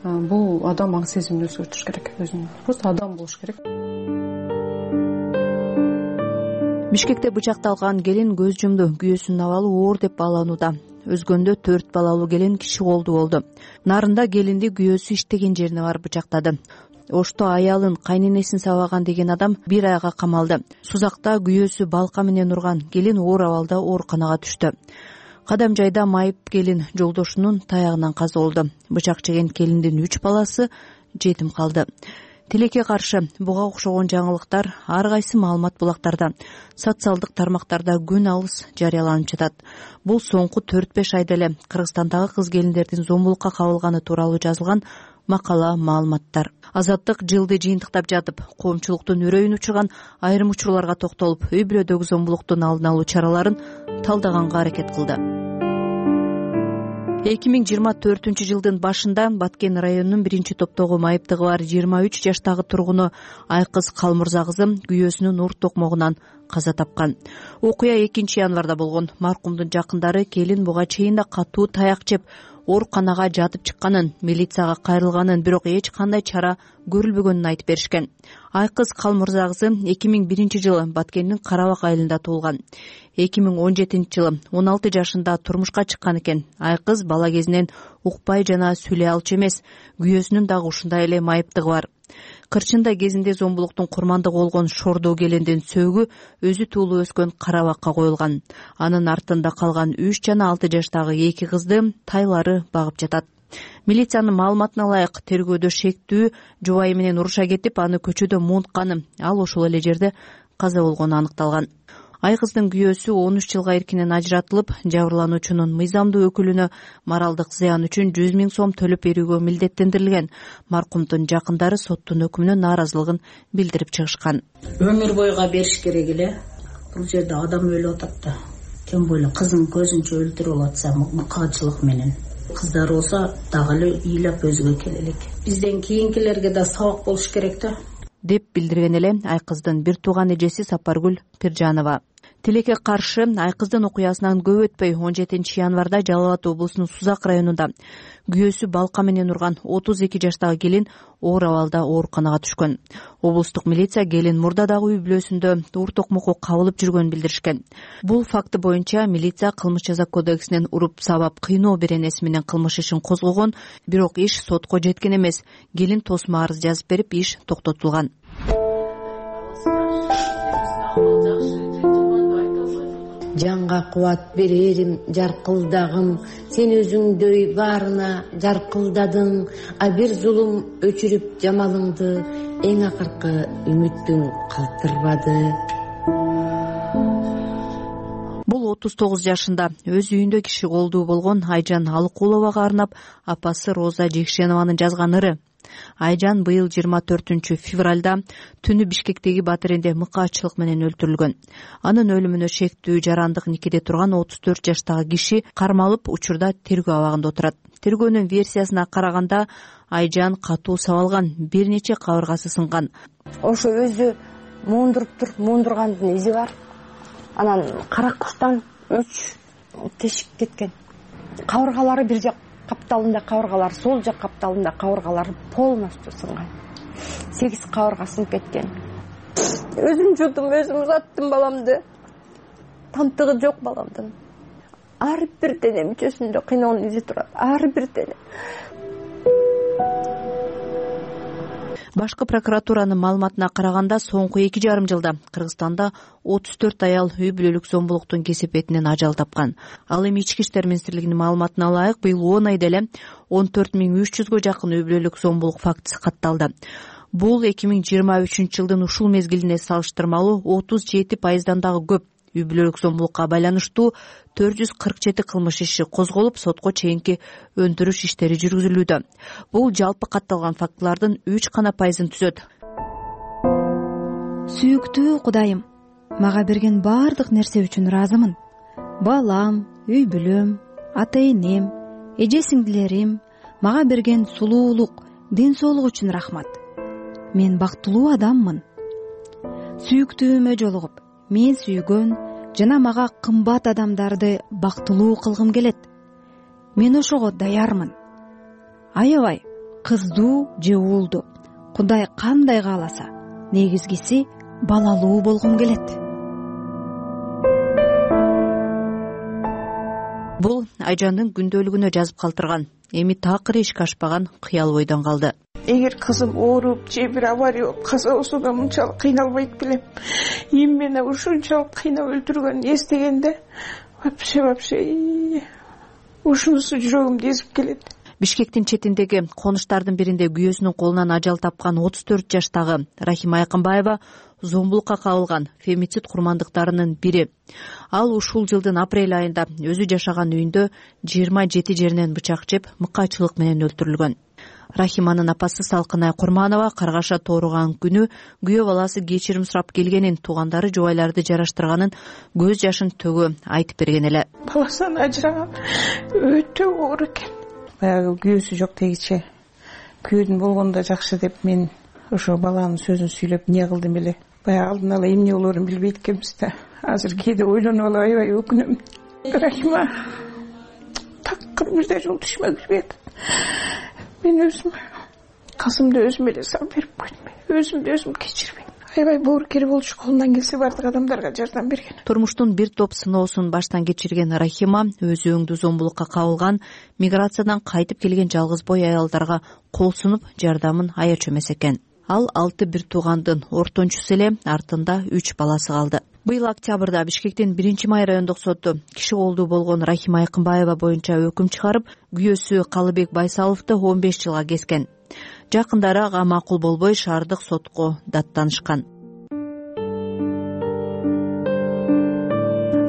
бул адам аң сезимин өзгөртүш керек өзүнө. Просто адам болуш керек. Бишкекте бычакталган келин көз жумду. Күйөөсүнүн абалы оор деп бааланууда. Өзгөндө 4 балалуу келин киши колду болду. Нарында келинди күйөөсү иштеген жерине барып бычактады. Ошто аялын кайненесин сабаган деген адам 1 айга камалды. Сузакта күйөөсү балка менен урган келин оор абалда ооруканага түштү. Кадам жайда майып келин жолдошунун таягынан каза болду. Бычак жеген келиндин 3 баласы жетим калды. Тилекке каршы буга окшогон жаңылыктар ар кайсы маалымат булактарда, социалдык тармактарда күн алыс жарыяланып жатат. Бул соңку 4-5 айда эле Кыргызстандагы кыз келиндердин зомбулукка кабылганы тууралуу жазылган макала, маалыматтар. Азаттык жылды жыйынтыктап жатып, коомчулуктун үрөйүн учурган айрым учурларга токтолуп, үй бүлөдөгү зомбулуктун алдын алуу чараларын талдаганга аракет кылды. 2024 жылдын башында Баткен районунун 1-топтогу майыптыгы бар 23 жаштагы тургуну Айкыз Калмырза кызы күйөөсүнүн ур токмогунан каза тапкан. Окуя 2 январда болгон. Маркумдун жакындары келин буга чейин да катуу таяк жеп, ооруканага жатып чыкканын, милицияга кайрылганын, бирок эч кандай чара көрүлбөгөнүн айтып беришкен. Айкыз Калмырза кызы 2001-жылы Баткендин Карабак айылында туулган. 2017-жылы 16 жашында турмушка чыккан экен. Айкыз бала кезинен укпай жана сүйлөй алчу эмес, күйөөсүнүн дагы ушундай эле майыптыгы бар. Кырчындай кезинде Зомбулуктун курмандыгы болгон Шордоо келендин сөөгү өзү туулуп өскөн Карабакка коюлган. Анын артында калган 3 жана 6 жаштагы 2 кызды тайлары багып жатат. Милициянын маалыматына ылайык, тергөөдө шектүү жубайы менен уруша кетип, аны көчөдө муунтканы, ал ошол эле жерде каза болгону аныкталган. Айкыздын күйөөсү 13 жылга эркинен ажыратылып, жабырлануучунун мыйзамдуу өкүлүнө моралдык зыян үчүн 100 000 сом төлөп берүүгө милдеттендирилген. Маркумдун жакындары соттун өкүмүнө нааразылыгын билдирип чыгышкан. Өмүр бойга бериш керек эле. Бул жерде адам өлүп атат да. Тем более кыздын көзүнчө өлтүрүп атса, мыкаачылык менен. Кыздар болсо дагы эле ыйлап өзүгө келе элек. Бизден кийинкилерге да сабак болуш керек да, деп билдирген эле Айкыздын бир тууган эжеси Сапаргүл Пиржанова. Тилекке каршы Айкыздын окуясынан көп өтпөй 17 январда Жалал Абад облусунун Сузак районунда күйөөсү балка менен урган 32 жаштагы келин оор абалда ооруканага түшкөн. Облустук милиция келин мурдадагы үй бүлөсүндө уур токмокко кабылып жүргөнүн билдиришкен. Бул факты боюнча милиция кылмыш жаза кодексинен уруп сабап кыйноо беренеси менен кылмыш ишин козгогон, бирок иш сотко жеткен эмес. Келин тосмо арыз жазып берип, иш токтотулган. Жанга кубат берерим жаркылдагым, сен өзүңдөй баарына жаркылдадың, а бир зулум өчүрүп жамалыңды, эң акыркы үмүттүң калтырбады. Бул 39 жашында өз үйүндө киши колдуу болгон Айжан Алыкуловага арнап апасы Роза Жекшенованын жазган ыры. Айжан быйыл 24 февралда түнү Бишкектеги Батыренде мыкаачылык менен өлтүрүлгөн. Анын өлүмүнө шектүү жарандык никеде турган 34 жаштагы киши кармалып, учурда тергөө абагында отурат. Тергөөнүн версиясына караганда Айжан катуу сабалган, бир нече кабыргасы сынган. Ошо өзү муундуруптур, муундургандын изи бар. Анан каракчтан 3 тешик кеткен. Кабыргалары бир жак капталында кабыргалар, сол жак капталында кабыргалары полностью сынган. 8 кабырга сынып кеткен. Өзүм жудум, өзүм узаттым баламды. Тамтыгы жок баламдын. Ар бир дене мүчөсүндө кыйноонун изи турат. Ар бир дене. Башкы прокуратуранын маалыматына караганда, соңку 2,5 жылда Кыргызстанда 34 аял үй бүлөлүк зомбулуктун кесепетинен ажал тапкан. Ал эми Ички иштер министрлигинин маалыматына ылайык, быйыл 10 айда эле 14 300 жакын үй бүлөлүк зомбулук фактысы катталды. Бул 2023 жылдын ушул мезгилине салыштырмалуу 37% дагы көп. Үй бүлөлүк зомбулукка байланыштуу 447 кылмыш иши козголуп, сотко чейинки өндүрүш иштери жүргүзүлүүдө. Бул жалпы катталган фактылардын 3% түзөт. Сүйүктүү Кудайым, мага берген баардык нерсе үчүн ыраазымын. Балам, үй бүлөм, ата-энем, эже сиңдилерим, мага берген сулуулук, ден соолук үчүн рахмат. Мен бактылуу адаммын. Сүйүктүүмө жолугуп, мен сүйгөн жана мага кымбат адамдарды бактылуу кылгым келет. Мен ошого даярмын. Аябай кыздуу же уулду, Кудай кандай кааласа, негизгиси балалуу болгум келет. Бул Айжандын күндөлүгүнө жазып калтырган. Эми такыр эшикке ашпаган кыял ойдон калды. Эгер кызым ооруп же бир авария болуп каза болсо да мынчалык кыйналбайт белем. Мени ушунчалык кыйнап өлтүргөнүн эстегенде вообще ушунусу жүрөгүмдү эзип келет. Бишкектин четиндеги конуштардын биринде күйөөсүнүн колунан ажал тапкан 34 жаштагы Рахима Айкынбаева зомбулукка кабылган фемицид курмандыктарынын бири. Ал ушул жылдын апрель айында өзү жашаган үйүндө 27 жеринен бычак жеп, мыкаачылык менен өлтүрүлгөн. Рахиманын апасы Салкынай Курманова каргаша тооруган күнү күйөө баласы кечирим сурап келгенин, туугандары жубайларды жараштырганын көз жашын төгө айтып берген эле. Баласынан ажыраган өтө оор экен. Баягы күйөөсү жок дегиче, күйөөдүн болгондо жакшы деп мен ошо баланын сөзүн сүйлөп эмне кылдым эле. Баягы алдын ала эмне болоорун билбейт экенбиз да. Азыр кээде ойлонуп алып аябай өкүнөм. Рахима такыр бирде жол түшмө кирбейт. Мен өзүм касымды өзүм эле салып берип койдум. Өзүмдү өзүм кечирбейм. Аябай боорукер болчу, колунан келсе бардык адамдарга жардам берген. Турмуштун бир топ сыноосун баштан кечирген Рахима өз өңдүү зомбулукка кабылган, миграциядан кайтып келген жалгыз бой аялдарга кол сунуп жардамын аячу эмес экен. Ал 6 бир туугандын ортончусу эле, артында 3 баласы калды. Быйыл октябрда Бишкектин 1-май райондук соту киши колдуу болгон Рахима Айкынбаева боюнча өкүм чыгарып, күйөөсү Калыбек Байсаловду 15 жылга kesкен. Жакындары ага макул болбой шаардык сотко даттанышкан.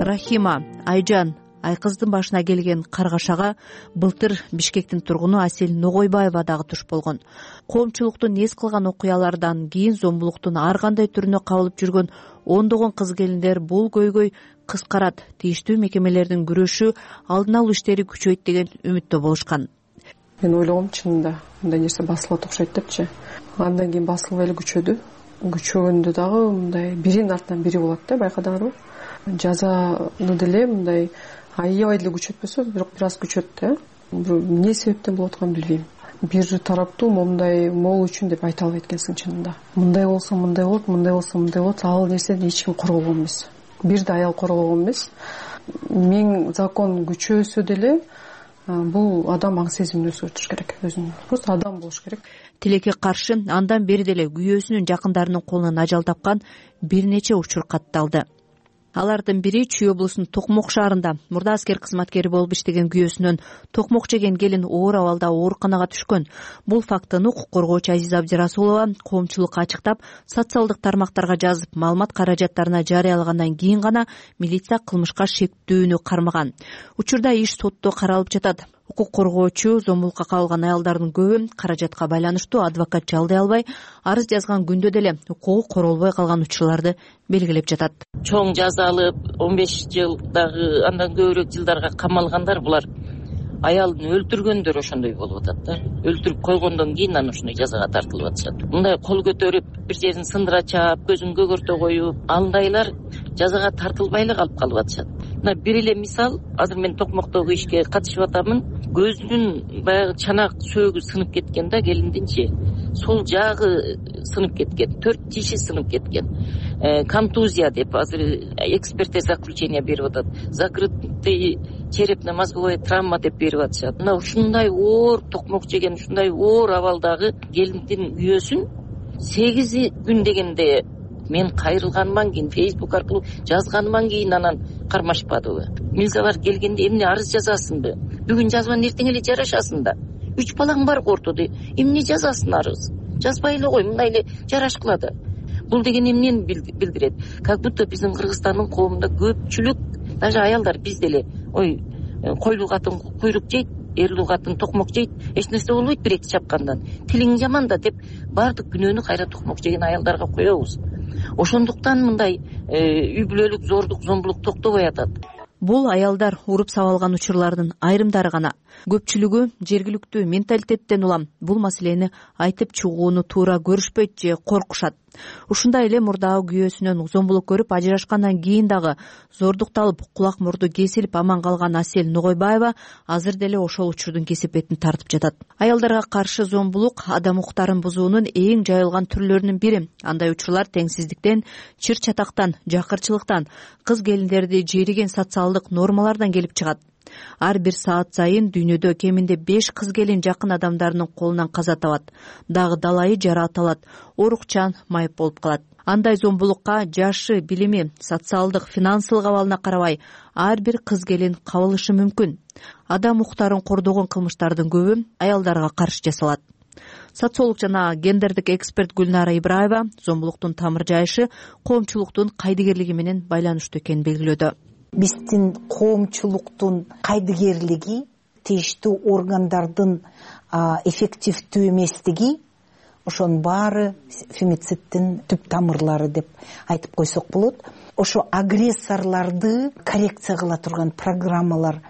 Рахима Айжан Айкыздын башына келген каргашага былтыр Бишкектин тургуну Асел Ногойбаева дагы туш болгон. Коомчулуктун эс кылган окуялардан кийин зомбулуктун ар кандай түрүнө кабылып жүргөн ондогон кыз келиндер бул көйгөй кыскарат, тийиштүү мекемелердин күрөшү, алдын алуу иштери күчөйт деген үмүттө болушкан. Мен ойлогом чынында мындай нерсе басылат окшойт депчи. Андан кийин басылбай эле күчөдү. Күчөгөндө дагы мындай биринин артынан бири болот да, байкадыңарбы? Жазаны деле мындай аябай деле күчөтпөсө, бирок бир аз күчөт да. Эмне себептен болуп атканын билбейм. Бир тараптуу момундай могул үчүн деп айта албайт экенсиң чынында. Мындай болсо мындай болот, мындай болсо мындай болот. Ал нерсени эч ким коргогон эмес. Бир да аял коргогон эмес. Мен закон күчөөсө деле бул адам аң сезимин өзгөртүш керек өзүнүн. Просто адам болуш керек. Тилекке каршы андан бери деле күйөөсүнүн жакындарынын колунан ажал тапкан бир нече учур катталды. Алардын бири Чүй облусунун Токмок шаарында мурда аскер кызматкери болуп иштеген күйөөсүнөн токмок жеген келин оор абалда ооруканага түшкөн. Бул фактыны укук коргоочу Азиза Абдирасулова коомчулукка ачыктап, социалдык тармактарга жазып, маалымат каражаттарына жарыялагандан кийин гана милиция кылмышка шектүүнү кармаган. Учурда иш сотто каралып жатат. Укук коргоочу зомбулукка кабылган аялдардын көбү каражатка байланыштуу адвокат жалдай албай, арыз жазган күндө деле укугу королбой калган учурларды белгилеп жатат. Чоң жаза алып 15 жылдагы андан көбүрөөк жылдарга камалгандар булар аялын өлтүргөндөр ошондой болуп атат да. Өлтүрүп койгондон кийин анан ушундай жазага тартылып атышат. Мындай кол көтөрүп, бир жерин сындыра чаап, көзүн көгөртө коюп, андайлар жазага тартылбай эле калып атышат. Мына бир эле мисал, азыр мен Токмоктогу ишке катышып атамын. Көзүнүн баягы чанак сөөгү сынып кеткен да, келиндинчи. Сол жагы сынып кеткен, 4 тиши сынып кеткен. Контузия деп азыр эксперттер заключение берип атат. Закрытый черепно-мозговая травма деп берип атышат. Мына ушундай оор токмок жеген, ушундай оор абалдагы келиндин күйөөсүн 8 күн дегенде мен кайрылганыман кийин, Facebook аркылуу жазганыман кийин анан кармашпадыбы. Милициялар келгенде эмне арыз жазасыңбы? Бүгүн жазбан, эртең эле жарашасың да. 3 балаң бар ортодо. Эмне жазасың арыз? Жазбай эле кой, мындай эле жараш кылады. Бул деген эмнени билдирет? Как будто биздин Кыргызстандын коомунда көпчүлүк, даже аялдар бизде эле, ой, койлуу катын куйрук жейт, эрлүү катын токмок жейт, эч нерсе болбойт бир эки чапкандан. Тилиң жаман да деп баардык күнөөнү кайра токмок жеген аялдарга коебуз. Ошондуктан мындай үй бүлөлүк зордук, зомбулук токтобой атат. Бул аялдар уруп сабалган учурлардын айрымдары гана. Көпчүлүгү жергиликтүү менталитеттен улам бул маселени айтып чыгууну туура көрүшпөйт же коркушат. Ушундай эле мурдагы күйөөсүнөн зомбулук көрүп ажырашкандан кийин дагы зордукталып, кулак мурду кесилип аман калган Асел Ногойбаева азыр деле ошол учурдун кесепетин тартып жатат. Аялдарга каршы зомбулук адам укуктарын бузуунун эң жайылган түрлөрүнүн бири. Андай учурлар теңсиздиктен, чыр чатактан, жакырчылыктан, кыз келиндерди жериген социалдык нормалардан келип чыгат. Ар бир саат сайын дүйнөдө кеминде 5 кыз келин жакын адамдарынын колунан каза табат. Дагы далайы жараат алат, оорукчан, майып болуп калат. Андай зомбулукка жашы, билими, социалдык, финансылык абалына карабай ар бир кыз келин кабылышы мүмкүн. Адам укуктарын кордогон кылмыштардын көбү аялдарга каршы жасалат. Социолог жана гендердик эксперт Гүлнара Ибраева зомбулуктун тамыр жайышы коомчулуктун кайдыгерлиги менен байланыштуу экенин белгилөөдө. Биздин коомчулуктун кайдыгерлиги, тийиштүү органдардын эффективдүү эместиги, ошонун баары фемицидтин түп тамырлары деп айтып койсок болот. Ошо агрессорлорду коррекция кыла турган программалар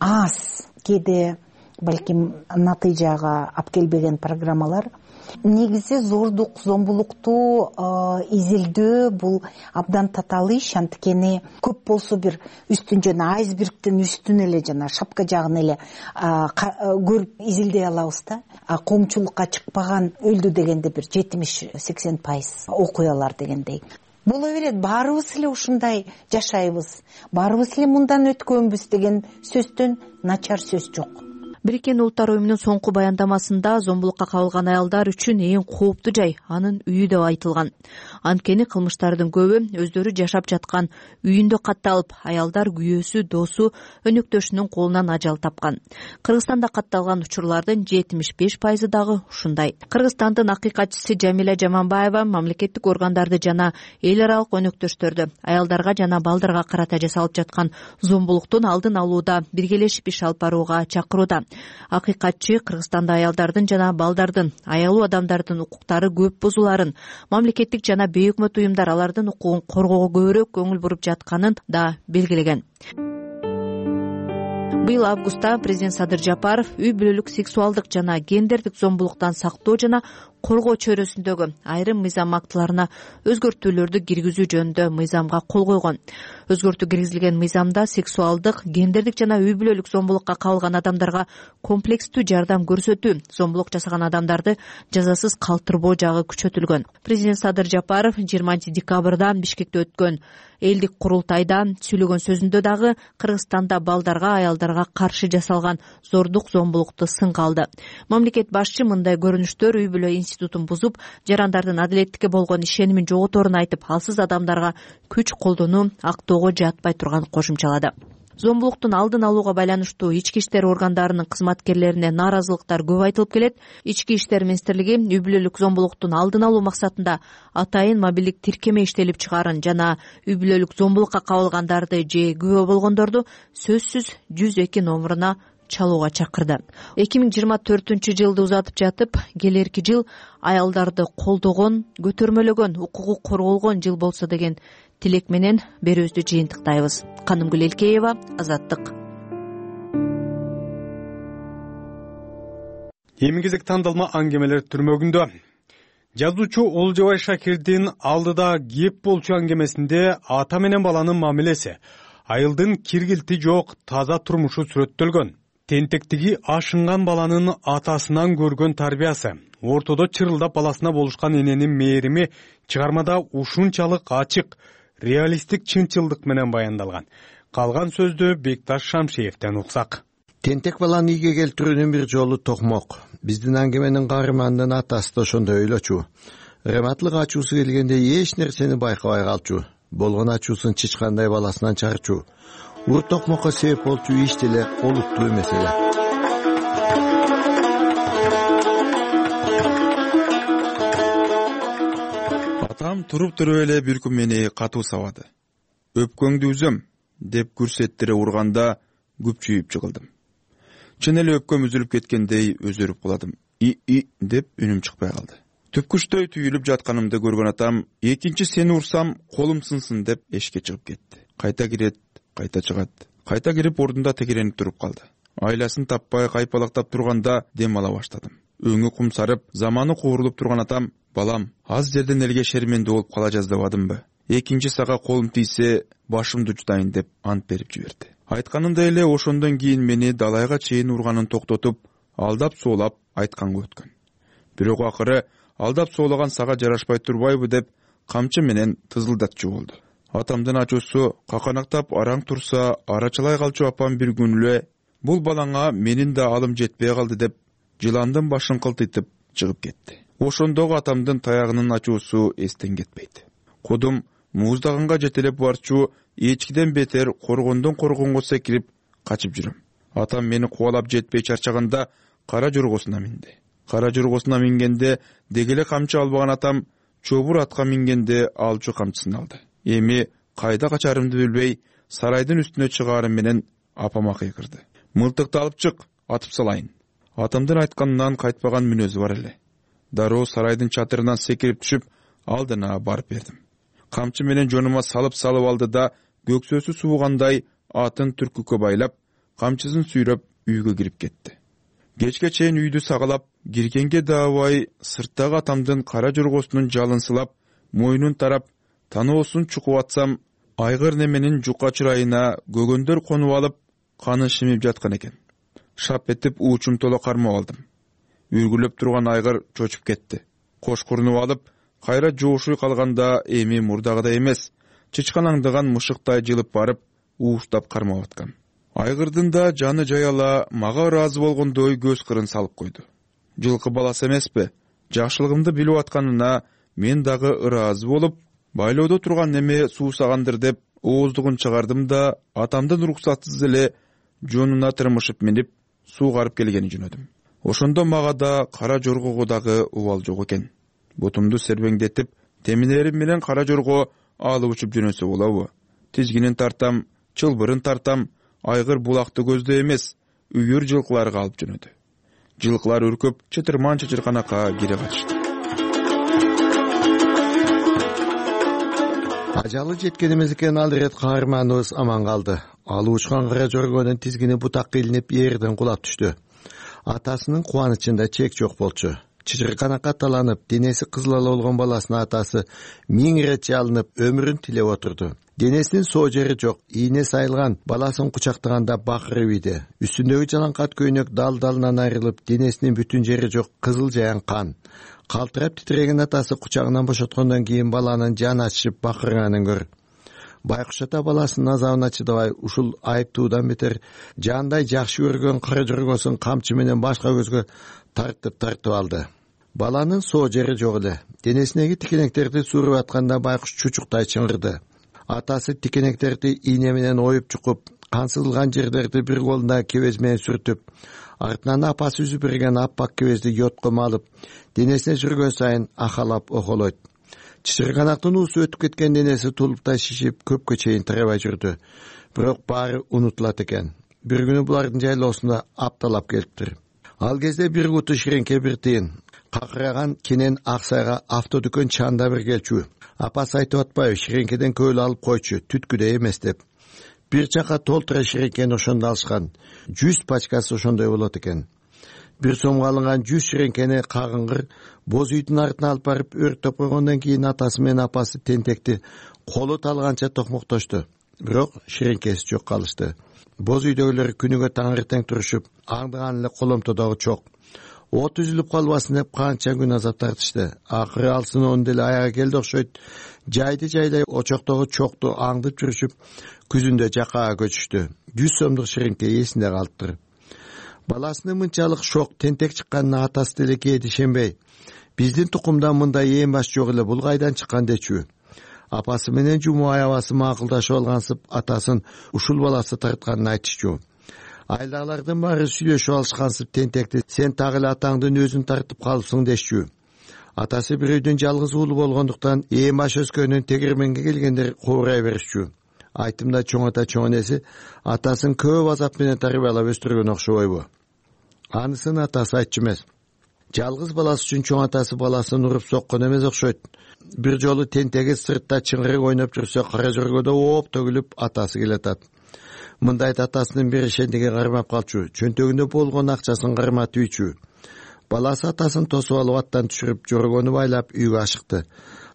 аз, кээде балким натыйжага алып келбеген программалар негизи зордук зомбулукту изилдөө бул абдан татаал иш. Анткени көп болсо бир үстүн жана айсбергдин үстүн эле жана шапка жагын эле көрүп изилдей алабыз да. Коомчулукка чыкпаган өлдү дегенде бир 70-80% окуялар дегендей. Боло берет, баарыбыз эле ушундай жашайбыз, баарыбыз эле мындан өткөнбүз деген сөздөн начар сөз жок. Бириккен Улуттар уюмунун соңку баяндамасында зомбулукка кабылган аялдар үчүн эң кооптуу жай анын үйү деп айтылган. Анткени кылмыштардын көбү өздөрү жашап жаткан үйүндө катталып, аялдар күйөөсү, досу, өнөктөшүнүн колунан ажал тапкан. Кыргызстанда катталган учурлардын 75% дагы ушундай. Кыргызстандын акыйкатчысы Жамиля Жаманбаева мамлекеттик органдарды жана эл аралык өнөктөштөрдү аялдарга жана балдарга карата жасалып жаткан зомбулуктун алдын алууда биргелешип иш алып барууга чакырууда. Акыйкатчы Кыргызстанда аялдардын жана балдардын, аялуу адамдардын укуктары көп бузуларын, мамлекеттик жана бейөкмөт уюмдар алардын укугун коргоого көбүрөөк көңүл буруп жатканын да белгилеген. Быйыл августта президент Садыр Жапаров үй бүлөлүк сексуалдык жана гендердик зомбулуктан сактоо жана коргоо чөйрөсүндөгү айрым мыйзам актыларына өзгөртүүлөрдү киргизүү жөнүндө мыйзамга кол койгон. Өзгөртүү киргизилген мыйзамда сексуалдык, гендердик жана үй бүлөлүк зомбулукка кабылган адамдарга комплекстүү жардам көрсөтүү, зомбулук жасаган адамдарды жазасыз калтырбоо жагы күчөтүлгөн. Президент Садыр Жапаров 20 декабрда Бишкекте өткөн элдик курултайда сүйлөгөн сөзүндө дагы Кыргызстанда балдарга, аялдарга каршы жасалган зордук зомбулукту сынга алды. Мамлекет башчы мындай көрүнүштөр үй бүлө институтун бузуп, жарандардын адилеттикке болгон ишенимин жоготорун айтып, алсыз адамдарга күч колдонуу актоого жатпай турганын кошумчалады. Зомбулуктун алдын алууга байланыштуу ички иштер органдарынын кызматкерлерине нааразылыктар көп айтылып келет. Ички иштер министрлиги үй бүлөлүк зомбулуктун алдын алуу максатында атайын мобилдик тиркеме иштелип чыгарын жана үй бүлөлүк зомбулукка кабылгандарды же күбө болгондорду сөзсүз 102 номуруна чалууга чакырды. 2024-жылды узатып жатып, келерки жыл аялдарды колдогон, көтөрмөлөгөн, укугу корголгон жыл болсо деген тилек менен берүүбүздү жыйынтыктайбыз. Канымгүл Элкеева, Азаттык. Эми кезек тандалма аңгемелер түрмөгүндө. Жазуучу Олжобай Шакирдин алдыда кеп болчу аңгемесинде ата менен баланын мамилеси, айылдын киргилти жок таза турмушу сүрөттөлгөн. Тентектиги ашынган баланын атасынан көргөн тарбиясы, ортодо чырылдап баласына болушкан эненин мээрими чыгармада ушунчалык ачык, реалисттик чынчылдык менен баяндалган. Калган сөздү Бекташ Шамшиевден уксак. Тентек баланы ийге келтирүүнүн бир жолу токмок. Биздин аңгеменин каарманынын атасы да ошондой ойлочу. Рематлык ачуусу келгенде эч нерсени байкабай калчу. Болгон ачуусун чычкандай баласынан чыгарчу. Ур токмокко себеп болчу иш деле олуттуу маселе. Атам туруп туруп эле бир күн мени катуу сабады. Өпкөңдү үзөм деп күрсеттире урганда күпчүйүп жыгылдым. Чын эле өпкөм үзүлүп кеткендей өзөрүп куладым. И деп үнүм чыкпай калды. Түпкүчтөй түйүлүп жатканымды көргөн атам, экинчи сени урсам колум сынсын деп эшикке чыгып кетти. Кайта кирет, кайта чыгат. Кайта кирип ордунда текеренип туруп калды. Айласын таппай кайпалактап турганда дем ала баштадым. Өңү кумсарып, заманы куурулуп турган атам, балам, аз жерден элге шермендүү болуп кала жаздабадымбы? Экинчи сага колум тийсе, башымды жутайын деп ант берип жиберди. Айтканындай эле ошондон кийин мени далайга чейин урганын токтотуп, алдап соолап айтканга өткөн. Бирок акыры алдап соолаган сага жарашпай турбайбы деп камчы менен тызылдатчу болду. Атамдын ачуусу каканактап араң турса, арачалай калчу апам бир күн эле бул балаңа менин да алым жетпей калды деп жыландын башын кылтыйтып чыгып кетти. Ошондогу атамдын таягынын ачуусу эстен кетпейт. Кудум мууздаганга жетелеп барчу, эчкиден бетер коргондон коргонго секирип качып жүрөм. Атам мени кубалап жетпей чарчаганда кара жоргосуна минди. Кара жоргосуна мингенде дегеле камчы албаган атам чобур атка мингенде алчу камчысын алды. Эми кайда качарымды билбей, сарайдын үстүнө чыгаарым менен апама кыйкырды. Мылтыкты алып чык, атып салайын. Атамдын айтканынан кайтпаган мүнөзү бар эле. Дароо сарайдын чатырынан секирип түшүп, алдына барып бердим. Камчы менен жонума салып алды да, көксөсү суугандай атын түркүккө байлап, камчысын сүйрөп үйгө кирип кетти. Кечке чейин үйдү сагалап, киргенге даабай сырттагы атамдын кара жоргосунун жалын сылап, мойнун тарап, таноосун чукуп атсам, айгыр неменин жука чырайына көгөндөр конуп алып, каны шимип жаткан экен. Шап этип уучум толо кармап алдым. Үргүлөп турган айгыр чочуп кетти. Кошкурунуп алып, кайра жоошуй калганда эми мурдагыдай эмес, чычканаңдыган мышыктай жылып барып, ууштап кармап аткан. Айгырдын да жаны жаяла мага ыраазы болгондой көз кырын салып койду. Жылкы баласы эмеспи? Жакшылыгымды билип атканына мен дагы ыраазы болуп, байлоодо турган неме суусагандыр деп ооздугун чыгардым да атамдын уруксатсыз эле жонуна тырмышып минип суу карып келгени жөнөдүм. Ошондо мага да кара жоргого дагы убал жок экен. Бутумду сербеңдетип, теминерим менен кара жорго алып учуп жөнөсө болобу? Тизгинин тартам, чылбырын тартам, айгыр булакты көздө эмес, үйүр жылкыларга алып жөнөдү. Жылкылар үркүп, чытырман чычырканакка кире катышты. Ажалы жеткенибиз экен, ал ирет каарманыбыз аман калды. Ал учкан кара жоргонун тизгини бутакка илинип жерден кулап түштү. Атасынын кубанычында чек жок болчу. Чычырканакка таланып, денеси кызыл болгон баласына атасы 1000 ирет жалынып, өмүрүн тилеп отурду. Денесинин соо жери жок, ийне сайылган, баласын кучактаганда бакырып ийди. Үстүндөгү жалаңкат көйнөк дал-далынан айрылып, денесинин бүтүн жери жок, кызыл жаян кан. Калтырап титиреген атасы кучагынан бошоткондон кийин баланын жаны ачышып бакырганын көр. Байкуш ата баласынын азабына чыдабай, ушул айыптуудан бетер жандай жакшы көргөн кара жоргосун камчы менен башка көзгө тартып алды. Баланын соо жери жок эле. Денесиндеги тикенектерди сууруп атканда байкуш чучуктай чыңгырды. Атасы тикенектерди ийне менен оюп чукуп, кан сызылган жерлерди бир колунда кебез менен сүртүп, артынан апасы үзүп берген аппак кебезди йотко малып, денесине жүргөн сайын ахалап охолойт. Чычырканактын уусу өтүп кеткен денеси тулуптай шишип, көпкө чейин тарабай жүрдү. Бирок баары унутулат экен. Бир күнү булардын жайлоосунда апталап келиптир. Ал кезде бир куту ширеңке бир тыйын. Какыраган кенен Аксайга автодүкөн чанда бир келчү. Апасы айтып атпайбы, ширеңкеден көөл алып койчу, түткүдөй эмес деп. Бир чака толтура ширеңкени ошондо алышкан. 100 пачкасы ошондой болот экен. Бир сомго алынган 100 ширеңкени кагыңгыр боз үйдүн артына алып барып өрттөп койгондон кийин атасы менен апасы тентекти колу талганча токмоктошту. Бирок ширеңкеси жок калышты. Боз үйдөгүлөр күнүгө таңертең турушуп, аңдыган эле коломтодогу чок. От үзүлүп калбасын деп канча күн азап тартышты. Акыры алсыноонун деле аягы келди окшойт. Жайды жайлай очоктогу чокту аңдып жүрүшүп, күзүндө жакаага көчүштү. 100 сомдук ширеңке эсинде калыптыр. Баласынын мынчалык шок, тентек чыкканына атасы деле кээде ишенбей, биздин тукумдан мындай эң баш жок эле, бул кайдан чыккан дечү. Апасы менен жуму аябасы макулдашып алгансып, атасын ушул баласы тартканын айтышчу. Айлагылардын баары сүйлөшүп алышкансып, тентекти сен так эле атаңдын өзүн тартып калыпсың дешчү. Атасы бир үйдүн жалгыз уулу болгондуктан эң баш өскөнүн тегерменге келгендер куурай беришчү. Айтымда чоң ата чоң энеси атасын көп азап менен тарбиялап өстүргөн окшобойбу? Анысын атасы айтчу эмес. Жалгыз баласы үчүн чоң атасы баласын уруп соккон эмес окшойт. Бир жолу тентеги сыртта чыңгырык ойноп жүрсө, кара жоргодо ооп төгүлүп атасы келатат. Мындайда атасынын беришендиги кармап калчу, чөнтөгүндө болгон акчасын карматып үйчү. Баласы атасын тосуп алып аттан түшүрүп, жоргону байлап үйгө ашыкты.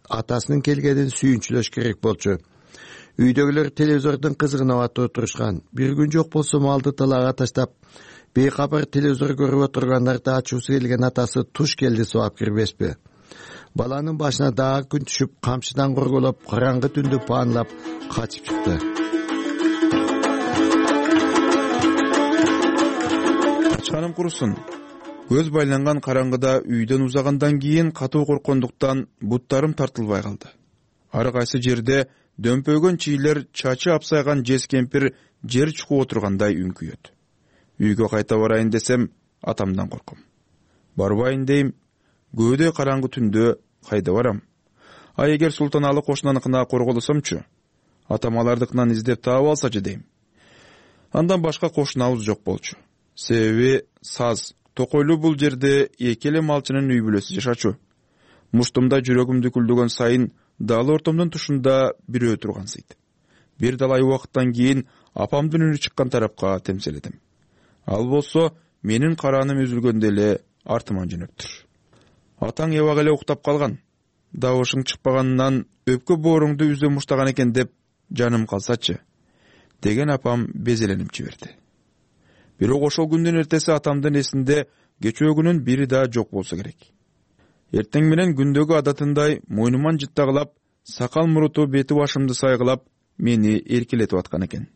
Атасынын келгенин сүйүнчүлөш керек болчу. Үйдөгүлөр телевизордун кызыгына батып отурушкан. Бир күн жок болсо малды талаага таштап, бейкабар телевизор көрүп отургандарды ачуусу келген атасы туш келди сабап кирбеспи? Баланын башына дагы күн түшүп, камчыдан корголоп, караңгы түндү паанлап качып чыкты. Качканым курусун. Көз байланган караңгыда үйдөн узагандан кийин катуу корккондуктан буттарым тартылбай калды. Ар кайсы жерде дөмпөгөн чийлер, чачы апсайган жез кемпир жер чукуп отургандай үңкүйөт. Үйгө кайта барайын десем, атамдан корком. Барбайын дейм, көөдөй караңгы түндө кайда барам? А эгер Султаналы кошунаныкына корголосомчу, атам алардыкынан издеп таап алсачы дейм. Андан башка кошунабыз жок болчу. Себеби саз, токойлуу бул жерде эки эле малчынын үй бүлөсү жашачу. Муштумда жүрөгүмдү күлдөгөн сайын дал ортомдун тушунда бирөө тургансыйт. Бир далай убакыттан кийин апамдын үнү чыккан тарапка темселедим. Ал болсо менин карааным үзүлгөндө эле артыман жөнөптүр. Атаң эбак эле уктап калган. Дабышың чыкпаганынан өпкө бооруңду үзө муштаган экен деп жаным калсачы деген апам безеленип жиберди. Бирок ошол күндүн эртеси атамдын эсинде кечөөгүнүн бири да жок болсо керек. Эртең менен күндөгү адатындай мойнуман жыттагылап, сакал муруту бети башымды сайгылап, мени эркелетип аткан экен.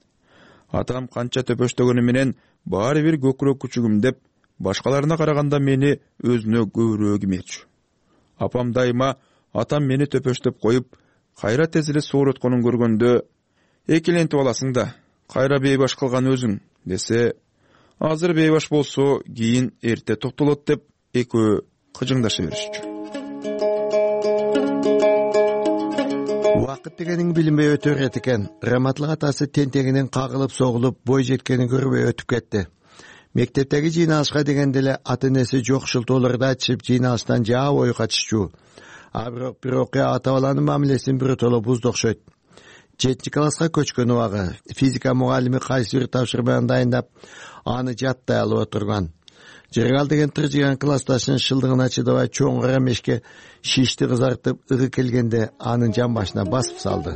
Атам канча төпөштөгөнү менен баары бир көкүрөк күчүгүм деп, башкаларына караганда мени өзүнө көбүрөөк имечү. Апам дайыма атам мени төпөштөп коюп, кайра тез эле соорутконун көргөндө, экелентип аласың да, кайра бейбаш кылган өзүң десе, азыр бейбаш болсо, кийин эрте токтолот деп экөө кыжыңдаша беришчү. Убакыт дегениң билинбей өтө берет экен. Раматлык атасы тентегинен кагылып согулуп, бой жеткенин көрбөй өтүп кетти. Мектептеги жыйналышка дегенде эле ата-энеси жок шылтоолорду айтышып, жыйналыштан жаа бою качышчу. А бирок бир окуя ата баланын мамилесин биротоло бузду окшойт. 7 класска көчкөн убагы физика мугалими кайсы бир тапшырманы дайындап, аны жаттай алып отурган. Жергал деген тыржыган классташынын шылдыгына чыдабай чоң кара мешке шишти кызартып ыгы келгенде анын жан башына басып салды.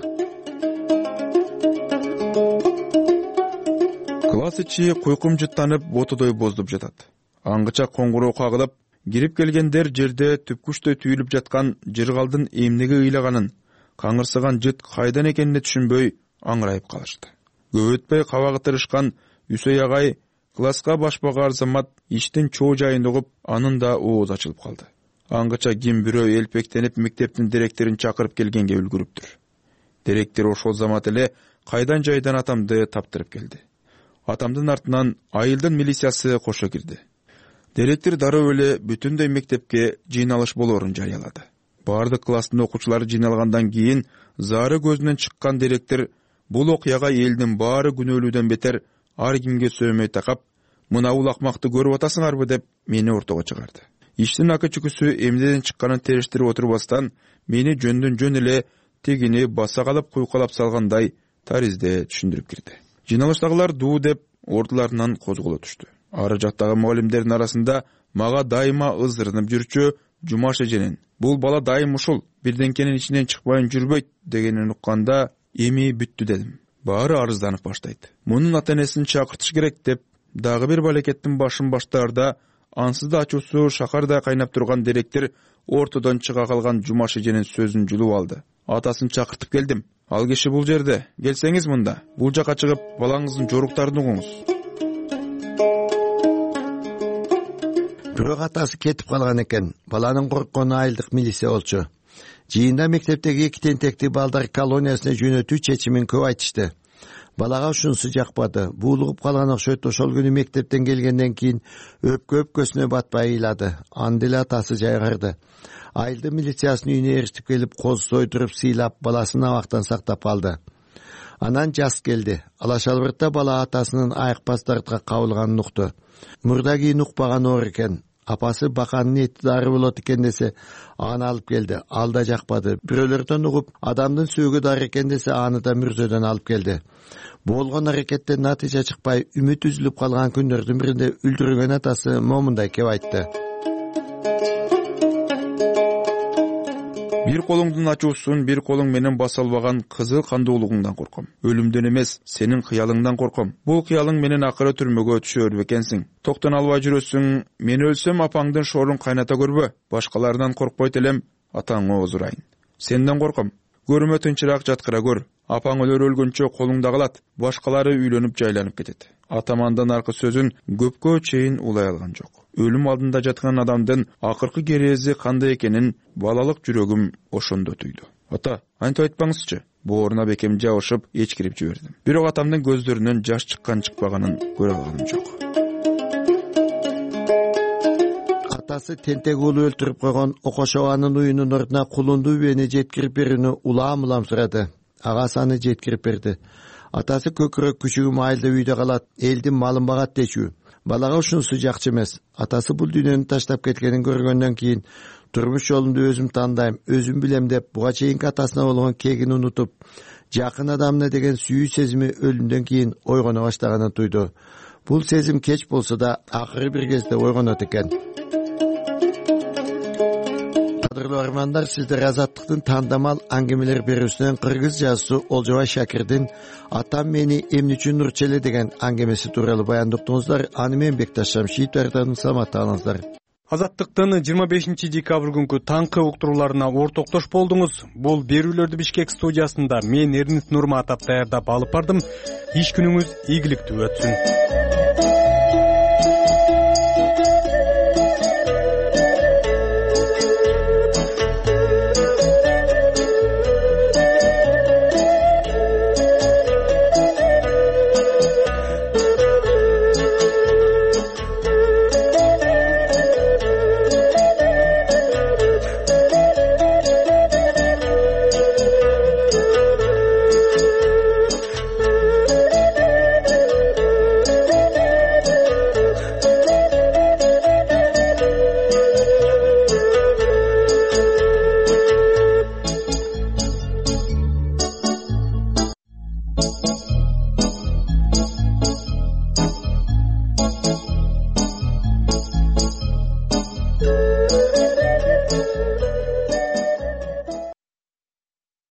Класс ичи куйкум жыттанып, ботодой боздуп жатат. Аңгыча коңгуроо кагылып, кирип келгендер жерде түпкүчтөй түйүлүп жаткан жыргалдын эмнеге ыйлаганын, каңырсыган жыт кайдан экенине түшүнбөй аңырайып калышты. Көп өтпөй кабагы тырышкан Үсөй агай класска башпагар замат иштин чоо жайын угуп, анын да ооз ачылып калды. Аңгыча ким бирөө элпектенип мектептин директорун чакырып келгенге үлгүрүптүр. Директор ошол замат эле кайдан жайдан атамды таптырып келди. Атамдын артынан айылдын милициясы кошо кирди. Директор дароо эле бүтүндөй мектепке жыйналыш болоорун жарыялады. Бардык класстын окуучулары жыйналгандан кийин зары көзүнөн чыккан директор бул окуяга элдин баары күнөөлүүдөн бетер ар кимге сөөмөй такап, мына бул акмакты көрүп атасыңарбы деп мени ортого чыгарды. Иштин акы чүкүсү эмнеден чыкканын териштирип отурбастан, мени жөндөн жөн эле тегини баса калып куйкалап салгандай таризде түшүндүрүп кирди. Жыйналыштагылар дуу деп ордуларынан козголо түштү. Ары жактагы мугалимдердин арасында мага дайыма ызырынып жүрчү Жумаш эженин бул бала дайым ушул бирденкенин ичинен чыкпайын жүрбөйт дегенин укканда эми бүттү дедим. Баары арызданып баштайт. Мунун ата-энесин чакыртыш керек деп дагы бир балекеттин башын баштаарда ансыз да ачуусу шакардай кайнап турган директор ортодон чыга калган Жумаш эженин сөзүн жулуп алды. Атасын чакыртып келдим. Ал киши бул жерде. Келсеңиз мында. Бул жака чыгып, балаңыздын жоруктарын угуңуз. Бирок атасы кетип калган экен. Баланын корккону айылдык милиция болчу. Жыйында мектептеги 2 тентекти балдар колониясына жөнөтүү чечимин көп айтышты. Балага ушунусу жакпады. Буулугуп калган окшойт. Ошол күнү мектептен келгенден кийин өпкө-өпкөсүнө батпай ыйлады. Анда эле атасы жайгарды. Айылдын милициясынын үйүнө эртип келип, коз сойдуруп сыйлап, баласын абактан сактап алды. Анан жаз келди. Алашалбыртта бала атасынын айыкпас дартка кабылганын укту. Мурда кийин укпаган оор экен. Апасы баканын эти дары болот экен десе, аны алып келди. Ал да жакпады. Бирөөлөрдөн угуп, адамдын сөөгү дары экен десе, аны да мүрзөдөн алып келди. Болгон аракеттен натыйжа чыкпай, үмүт үзүлүп калган күндөрдүн биринде үлдүргөн атасы момундай кеп айтты. Бир колуңдун ачуусун бир колуң менен баса албаган кызыл кандуулугуңдан корком. Өлүмдөн эмес, сенин кыялыңдан корком. Бул кыялың менен акыры түрмөгө түшөр бекенсиң. Токтон албай жүрөсүң. Мен өлсөм апаңдын шоорун кайната көрбө. Башкалардан коркпойт элем, атаңы озурайын. Сенден корком. Көрүмө тынчыраак жаткыра көр. Апаң өлгөнчө колуңда калат. Башкалары үйлөнүп жайланып кетет. Атамандан аркы сөзүн көпкө чейин улай алган жок. Өлүм алдында жаткан адамдын акыркы керези кандай экенин балалык жүрөгүм ошондо түйдү. Ата, антип айтпаңызчы. Бооруна бекем жабышып, эчкирип жибердим. Бирок атамдын көздөрүнөн жаш чыккан-чыкпаганын көрө алганым жок. Атасы тентек уулу өлтүрүп койгон Окошованын уюнун ордуна кулунду үбени жеткирип берүүнү улам-улам сурады. Агасы аны жеткирип берди. Атасы көкүрөк күчүгүм айылда үйдө калат, элдин малын багат дечү. Балага ушунусу жакчы эмес. Атасы бул дүйнөнү таштап кеткенин көргөндөн кийин турмуш жолумду өзүм тандайм, өзүм билем деп буга чейинки атасына болгон кегин унутуп, жакын адамына деген сүйүү сезими өлүмдөн кийин ойгоно баштаганын түйдү. бул сезим кеч болсо да акыры бир кезде ойгонот экен. Кадырлуу армандар, сиздер Азаттыктын тандамал аңгемелер берүүсүнөн кыргыз жазуусу Олжобай Шакирдин "Атам мени эмне үчүн нурчу эле" деген аңгемеси тууралуу баяндоптуңуздар. Аны мен Бекташ Шамшиевдин саламатта калыңыздар. Азаттыктын 25 декабрь күнкү таңкы уктурууларына ортоктош болдуңуз. Бул берүүлөрдү Бишкек студиясында мен Эрнит Нурматов даярдап алып бардым. Иш күнүңүз ийгиликтүү өтсүн.